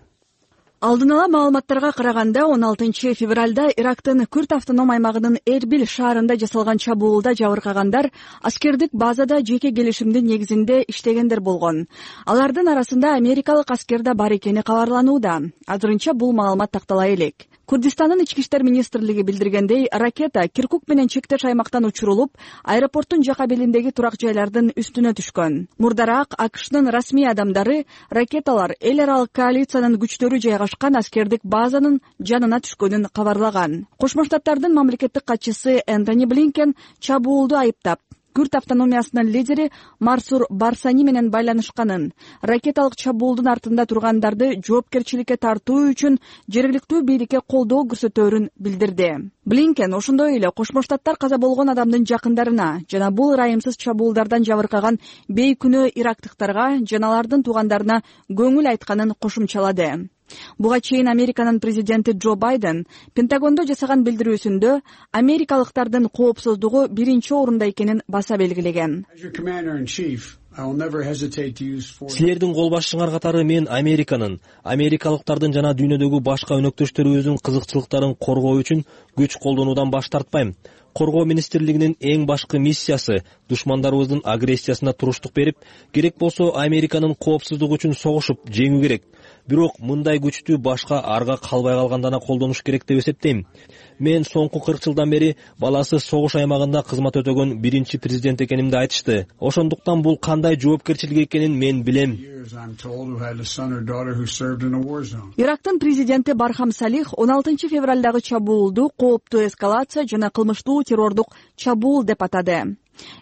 Алдын ала маалыматтарга караганда, он алтынчы февралда Ирактын Күрд автоном аймагынын Эрбил шаарында жасалган чабуулда жабыркагандар аскердик базада жеке келишимдин негизинде иштегендер болгон. Алардын арасында америкалык аскер да бар экени кабарланууда. Азырынча бул маалымат тактала элек. Курдистандын ички иштер министрлиги билдиргендей, ракета Киркук менен чектеш аймактан учурулуп, аэропорттун жака белиндеги турак жайлардын үстүнө түшкөн. Мурдараак АКШнын расмий адамдары ракеталар эл аралык коалициянын күчтөрү жайгашкан аскердик базанын жанына түшкөнүн кабарлаган. Кошмо Штаттардын мамлекеттик катчысы Энтони Блинкен чабуулду айыптап, Күрд автономиясынын лидери Марсур Барсани менен байланышканын, ракеталык чабуулдун артында тургандарды жоопкерчиликке тартуу үчүн жергиликтүү бийликке колдоо көрсөтөөрүн билдирди. Блинкен ошондой эле Кошмо Штаттар каза болгон адамдын жакындарына жана бул ырайымсыз чабуулдардан жабыркаган бейкүнөө ирактыктарга жана алардын туугандарына көңүл айтканын кошумчалады. Буга чейин Американын президенти Джо Байден Пентагондо жасаган билдирүүсүндө америкалыктардын коопсуздугу биринчи орунда экенин баса белгилеген. Силердин кол башчыңар катары мен Американын, америкалыктардын жана дүйнөдөгү башка өнөктөштөрүбүздүн кызыкчылыктарын коргоо үчүн күч колдонуудан баш тартпайм. Коргоо министрлигинин эң башкы миссиясы душмандарыбыздын агрессиясына туруштук берип, керек болсо Американын коопсуздугу үчүн согушуп жеңүү керек. Бирок мындай күчтү башка арга калбай калгандана колдонуш керек деп эсептейм. Мен соңку кырк жылдан бери баласы согуш аймагында кызмат өтөгөн биринчи президент экенимди айтышты. Ошондуктан бул кандай жоопкерчилик экенин мен билем. Ирактын президенти Бархам Салих он алтынчы февралдагы чабуулду кооптуу эскалация жана кылмыштуу террордук чабуул деп атады.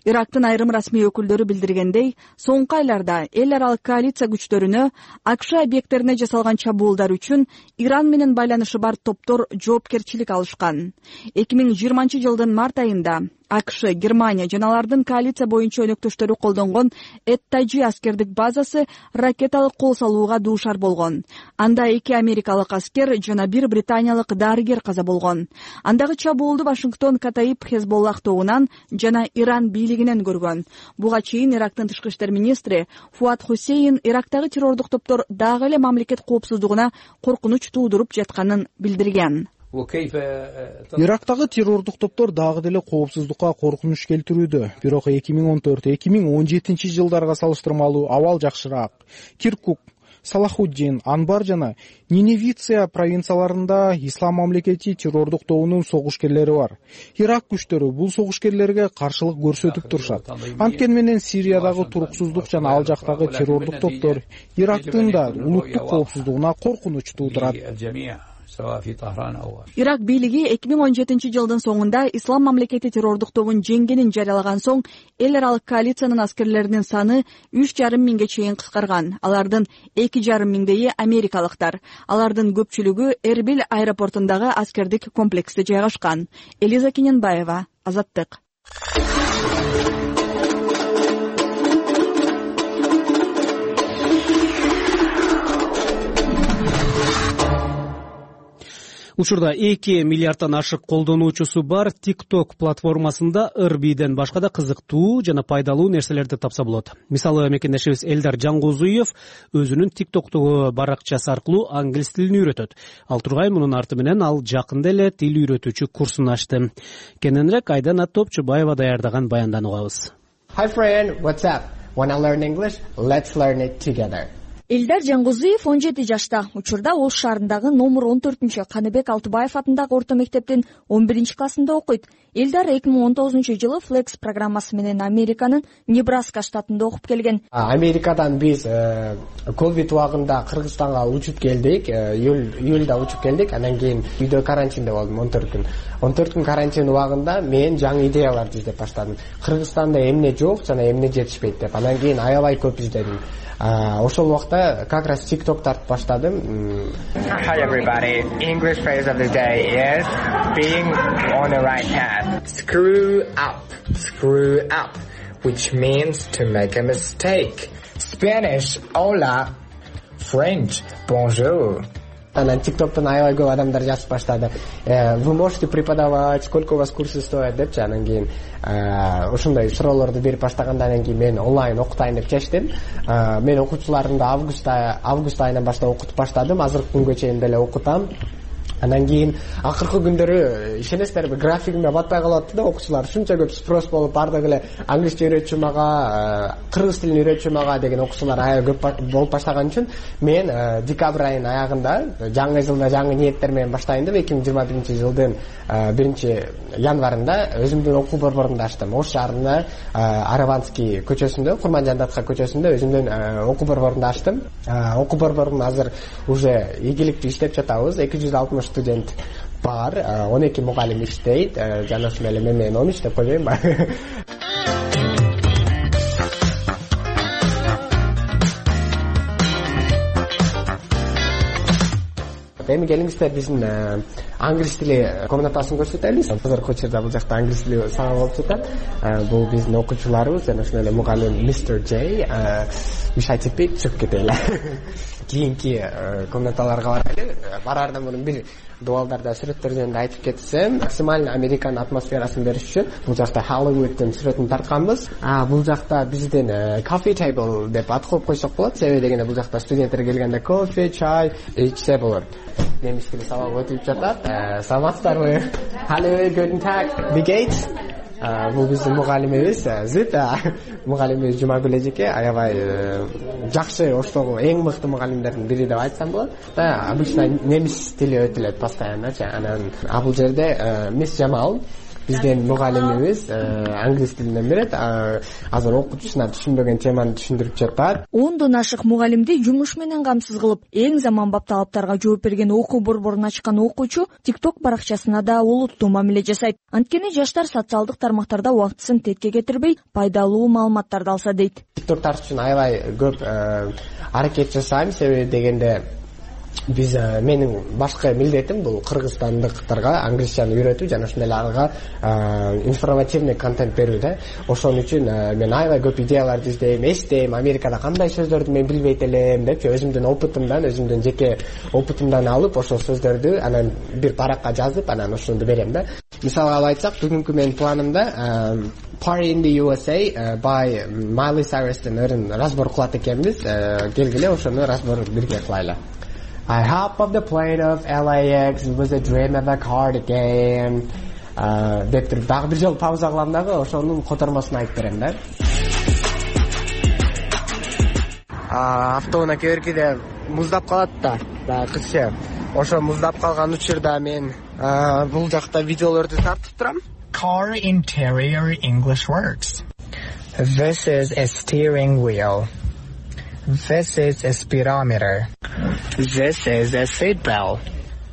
Ирактын айрым расмий өкүлдөрү билдиргендей, соңку айларда эл аралык коалиция күчтөрүнө АКШ объекттерине жасалган чабуулдар үчүн Иран менен байланышы бар топтор жоопкерчилик алышкан. эки миң жыйырманчы жылдын март айында АКШ, Германия жана алардын коалиция боюнча өнөктөштөрү колдонгон Эт-Таджи аскердик базасы ракеталык кол салууга дуушар болгон. Анда эки америкалык аскер жана бир британиялык дарыгер каза болгон. Андагы чабуулду Вашингтон Катаиб Хезболлах тобунан жана Иран бийлигинен көргөн. Буга чейин Ирактын тышкы иштер министри Фуат Хусейн Ирактагы террордук топтор дагы эле мамлекет коопсуздугуна коркунуч туудуруп жатканын билдирген. Ирактагы террордук топтор дагы деле коопсуздукка коркунуч келтирүүдө. Бирок эки миң он төрт эки миң он жетинчи жылдарга салыштырмалуу абал жакшыраак. Киркук, Салахуддин, Анбар жана Ниневиция провинцияларында Ислам мамлекети террордук тобунун согушкерлери бар. Ирак күчтөрү бул согушкерлерге каршылык көрсөтүп турушат. Анткени менен Сириядагы туруксуздук жана ал жактагы террордук топтор Ирактын да улуттук коопсуздугуна коркунуч туудурат. Ирак бийлиги эки миң он жетинчи жылдын соңунда Ислам мамлекети террордук тобун жеңгенин жарыялаган соң эл аралык коалициянын аскерлеринин саны үч жарым миңге чейин кыскарган. Алардын эки жарым миңдейи америкалыктар. Алардын көпчүлүгү Эрбил аэропортундагы аскердик комплексте жайгашкан. Элиза Кененбаева, Азаттык. Учурда эки миллиардтан ашык колдонуучусу бар TikTok платформасында ыр-бийден башка да кызыктуу жана пайдалуу нерселерди тапса болот. Мисалы, мекендешибиз Элдар Жангозуев өзүнүн TikTok'тогу баракчасы аркылуу англис тилин үйрөтөт. Ал тургай мунун арты менен ал жакында эле тил үйрөтүүчү курсун ачты. Кененирээк Айдана Топчубаева даярдаган баяндан угабыз. Hi friend, what's up? Wanna learn English? Let's learn it together. Элдар Жангозуев он жети жашта. Учурда Ош шаарындагы номер он төртүнчү Каныбек Алтыбаев атындагы орто мектептин он биринчи классында окуйт. Элдар эки миң он тогузунчу жылы Flex программасы менен Американын Небраска штатында окуп келген. Америкадан биз ковид убагында Кыргызстанга учуп келдик, июлда учуп келдик. Андан кийин үйдө карантинде болдум он төрт күн. он төрт күн карантин убагында мен жаңы идеяларды издеп баштадым. Кыргызстанда эмне жок жана эмне жетишпейт деп. Андан кийин аябай көп издедим. Ошол убакта как раз TikTok тартып баштадым. Hi everybody. English phrase of the day is being on the right path. Screw up. Screw up, which means to make a mistake. Spanish, hola. French. Bonjour. Анан тиктоктон аябай көп адамдар жазып баштады. Вы можете преподавать, сколько у вас курсы стоят депчи. Анан кийин ошондой суроолорду берип баштагандан кийин мен онлайн окутайын деп чечтим. Мен окуучуларымды августта август айынан баштап окутуп баштадым. Азыркы күнгө чейин деле окутам. Анан кийин акыркы күндөрү ишенесиздерби, графигимде батпай калып атты да, окуучулар ушунча көп спрос болуп, баардыгы эле англисче үйрөтчү мага, кыргыз тилин үйрөтчү мага деген окуучулар аябай көп болуп баштаган үчүн мен декабрь айынын аягында жаңы жылда жаңы ниеттер менен баштайын деп эки миң жыйырма биринчи жылдын биринчи январында өзүмдүн окуу борборумду ачтым. Ош шаарында Араванский көчөсүндө, Курманжан Датка көчөсүндө өзүмдүн окуу борборумду ачтым. Окуу борборум азыр уже ийгиликтүү иштеп жатабыз. эки жүз алтымыш студент бар, он эки мугалим иштейт. Жана ошол эле мен менен он үч деп койбоймунбу? Эми келиңиздер биздин англис тили комнатасын көрсөтөлү. Азыркы учурда бул жакта англис тили сабак болуп жатат. Бул биздин окуучуларыбыз жана ошол эле мугалим мистер Джей. Мешайте пить, чыгып кетели. Кийинки комнаталарга барайлы. Бараардан мурун бир дуалдарда сүрөттөр жөнүндө айтып кетсем, максимально Американын атмосферасын бериш үчүн бул жакта Hollywoodтун сүрөтүн тартканбыз. А бул жакта биздин coffee table деп ат коюп койсок болот. Себеби дегенде бул жакта студенттер келгенде кофе, чай ичсе болот. Немис тили сабак өтүп жатат. Саламатсыздарбы? Hallo, guten Tag. Wie geht's? Бул биздин мугалимибиз Зит, мугалимибиз Жумагүл эжеке, аябай жакшы Оштогу эң мыкты мугалимдердин бири деп айтсам болот. Обычно немис тили өтүлөт постоянно. Анан бул жерде мисс Жамал биздин мугалимибиз англис тилинен берет. Азыр окуучусуна түшүнбөгөн теманы түшүндүрүп жатат. ондон ашык мугалимди жумуш менен камсыз кылып, эң заманбап талаптарга жооп берген окуу борборун ачкан окуучу TikTok баракчасына да олуттуу мамиле жасайт. Анткени жаштар социалдык тармактарда убактысын четке кетирбей, пайдалуу маалыматтарды алса дейт. TikTok тартыш үчүн аябай көп аракет жасайм, себеби дегенде биз менин башкы милдетим бул кыргызстандыктарга англисчаны үйрөтүү жана ошондой эле ага информативный контент берүү да. Ошон үчүн мен аябай көп идеяларды издейм, эстейм, Америкада кандай сөздөрдү мен билбейт элем депчи, өзүмдүн опытымдан, өзүмдүн жеке опытымдан алып ошол сөздөрдү анан бир баракка жазып, анан ошону берем да. Мисалга алып айтсак, бүгүнкү менин планымда Party in the U S A by Miley Cyrus'тын өрүн разбор кылат экенбиз. Келгиле ошону разбор бирге кылайлы. I hop off the plane of L A X, it was a dream of a cardigan. Деп туруп дагы бир жолу пауза кылам дагы ошонун котормосун айтып берем да. Автоунаа кээ-биркиде муздап калат да, дагы кызча. Ошо муздап калган учурда мен бул жакта видеолорду тартып турам. Car interior English words. This is a steering wheel. This is a speedometer. This is a seat belt.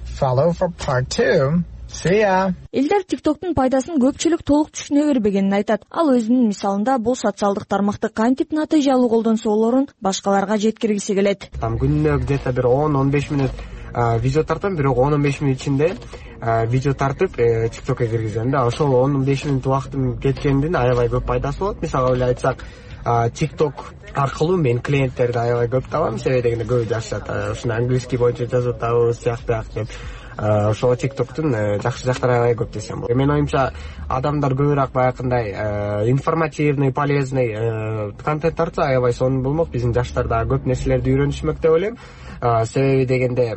Follow for part two. See ya. Элдер TikToktун пайдасын көпчүлүк толук түшүнө бербегенин айтат. Ал өзүнүн мисалында бул социалдык тармакты кантип натыйжалуу колдонсолорун башкаларга жеткиргиси келет. Там күнүнө где-то бир он он беш мүнөт видео тартам, бирок он он беш мүнөт ичинде видео тартып TikTokко киргизем да. Ошол он он беш мүнөт убактым кеткендин аябай көп пайдасы болот. Мисалга эле айтсак, TikTok аркылуу мен клиенттерди аябай көп табам, себеби дегенде көбү жашат. Ушуну английский боюнча жазып атабыз, сыяктуу деп. Ошол TikToктун жакшы жактары аябай көп десем болот. Менин оюмча адамдар көбүрөөк баягындай информативный, полезный контент тартса аябай сонун болмок. Биздин жаштар дагы көп нерселерди үйрөнүшмөк деп ойлойм. Себеби дегенде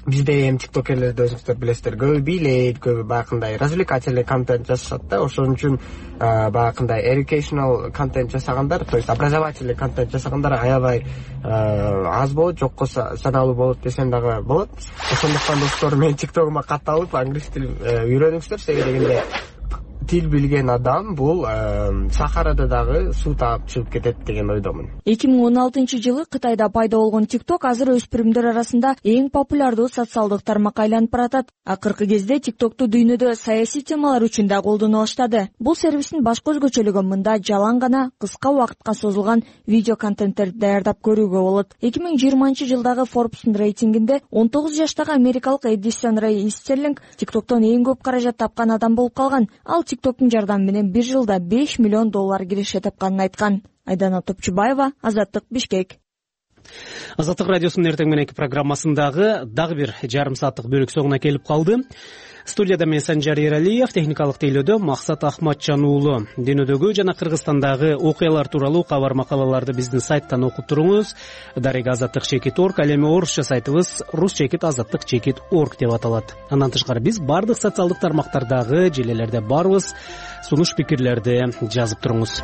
бизде эми тиктокерлерди өзүңүздөр билесиздер, көбү бийлейт, көбү баягындай развлекательный контент жасашат да. Ошон үчүн баягындай educational контент жасагандар, то есть образовательный контент жасагандар аябай аз болот, жокко саналуу болот десем дагы болот. Ошондуктан достор, мен тиктогума катталып англис тилин үйрөнүңүздөр, себеби дегенде тил билген адам бул сахарада дагы суу таап чыгып кетет деген ойдомун. эки миң он алтынчы жылы Кытайда пайда болгон TikTok азыр өспүрүмдөр арасында эң популярдуу социалдык тармак айланып баратат. Акыркы кезде TikToкту дүйнөдө саясий темалар үчүн да колдоно баштады. Бул сервистин башкы өзгөчөлүгү мында жалаң гана кыска убакытка созулган видео контенттерди даярдап көрүүгө болот. эки миң жыйырманчы жылдагы Forbes'ун рейтингинде он тогуз жаштагы америкалык Эдисон Рэй Истерлинг TikToктон эң көп каражат тапкан адам болуп калган. Ал TikToктун жардамы менен бир жылда беш миллион доллар киреше тапканын айткан. Айдана Топчубаева, Азаттык, Бишкек. Азаттык радиосунун эртең мененки программасындагы дагы бир жарым сааттык бөлүк соңуна келип калды. Студияда мен Санжар Эралиев, техникалык тейлөөдө Максат Ахматжан уулу. Дүйнөдөгү жана Кыргызстандагы окуялар тууралуу кабар макалаларды биздин сайттан окуп туруңуз. Дарек азаттык чекит орг, ал эми орусча сайтыбыз рус чекит азаттык чекит орг деп аталат. Андан тышкары биз бардык социалдык тармактардагы желелерде барбыз. Сунуш пикирлерди жазып туруңуз.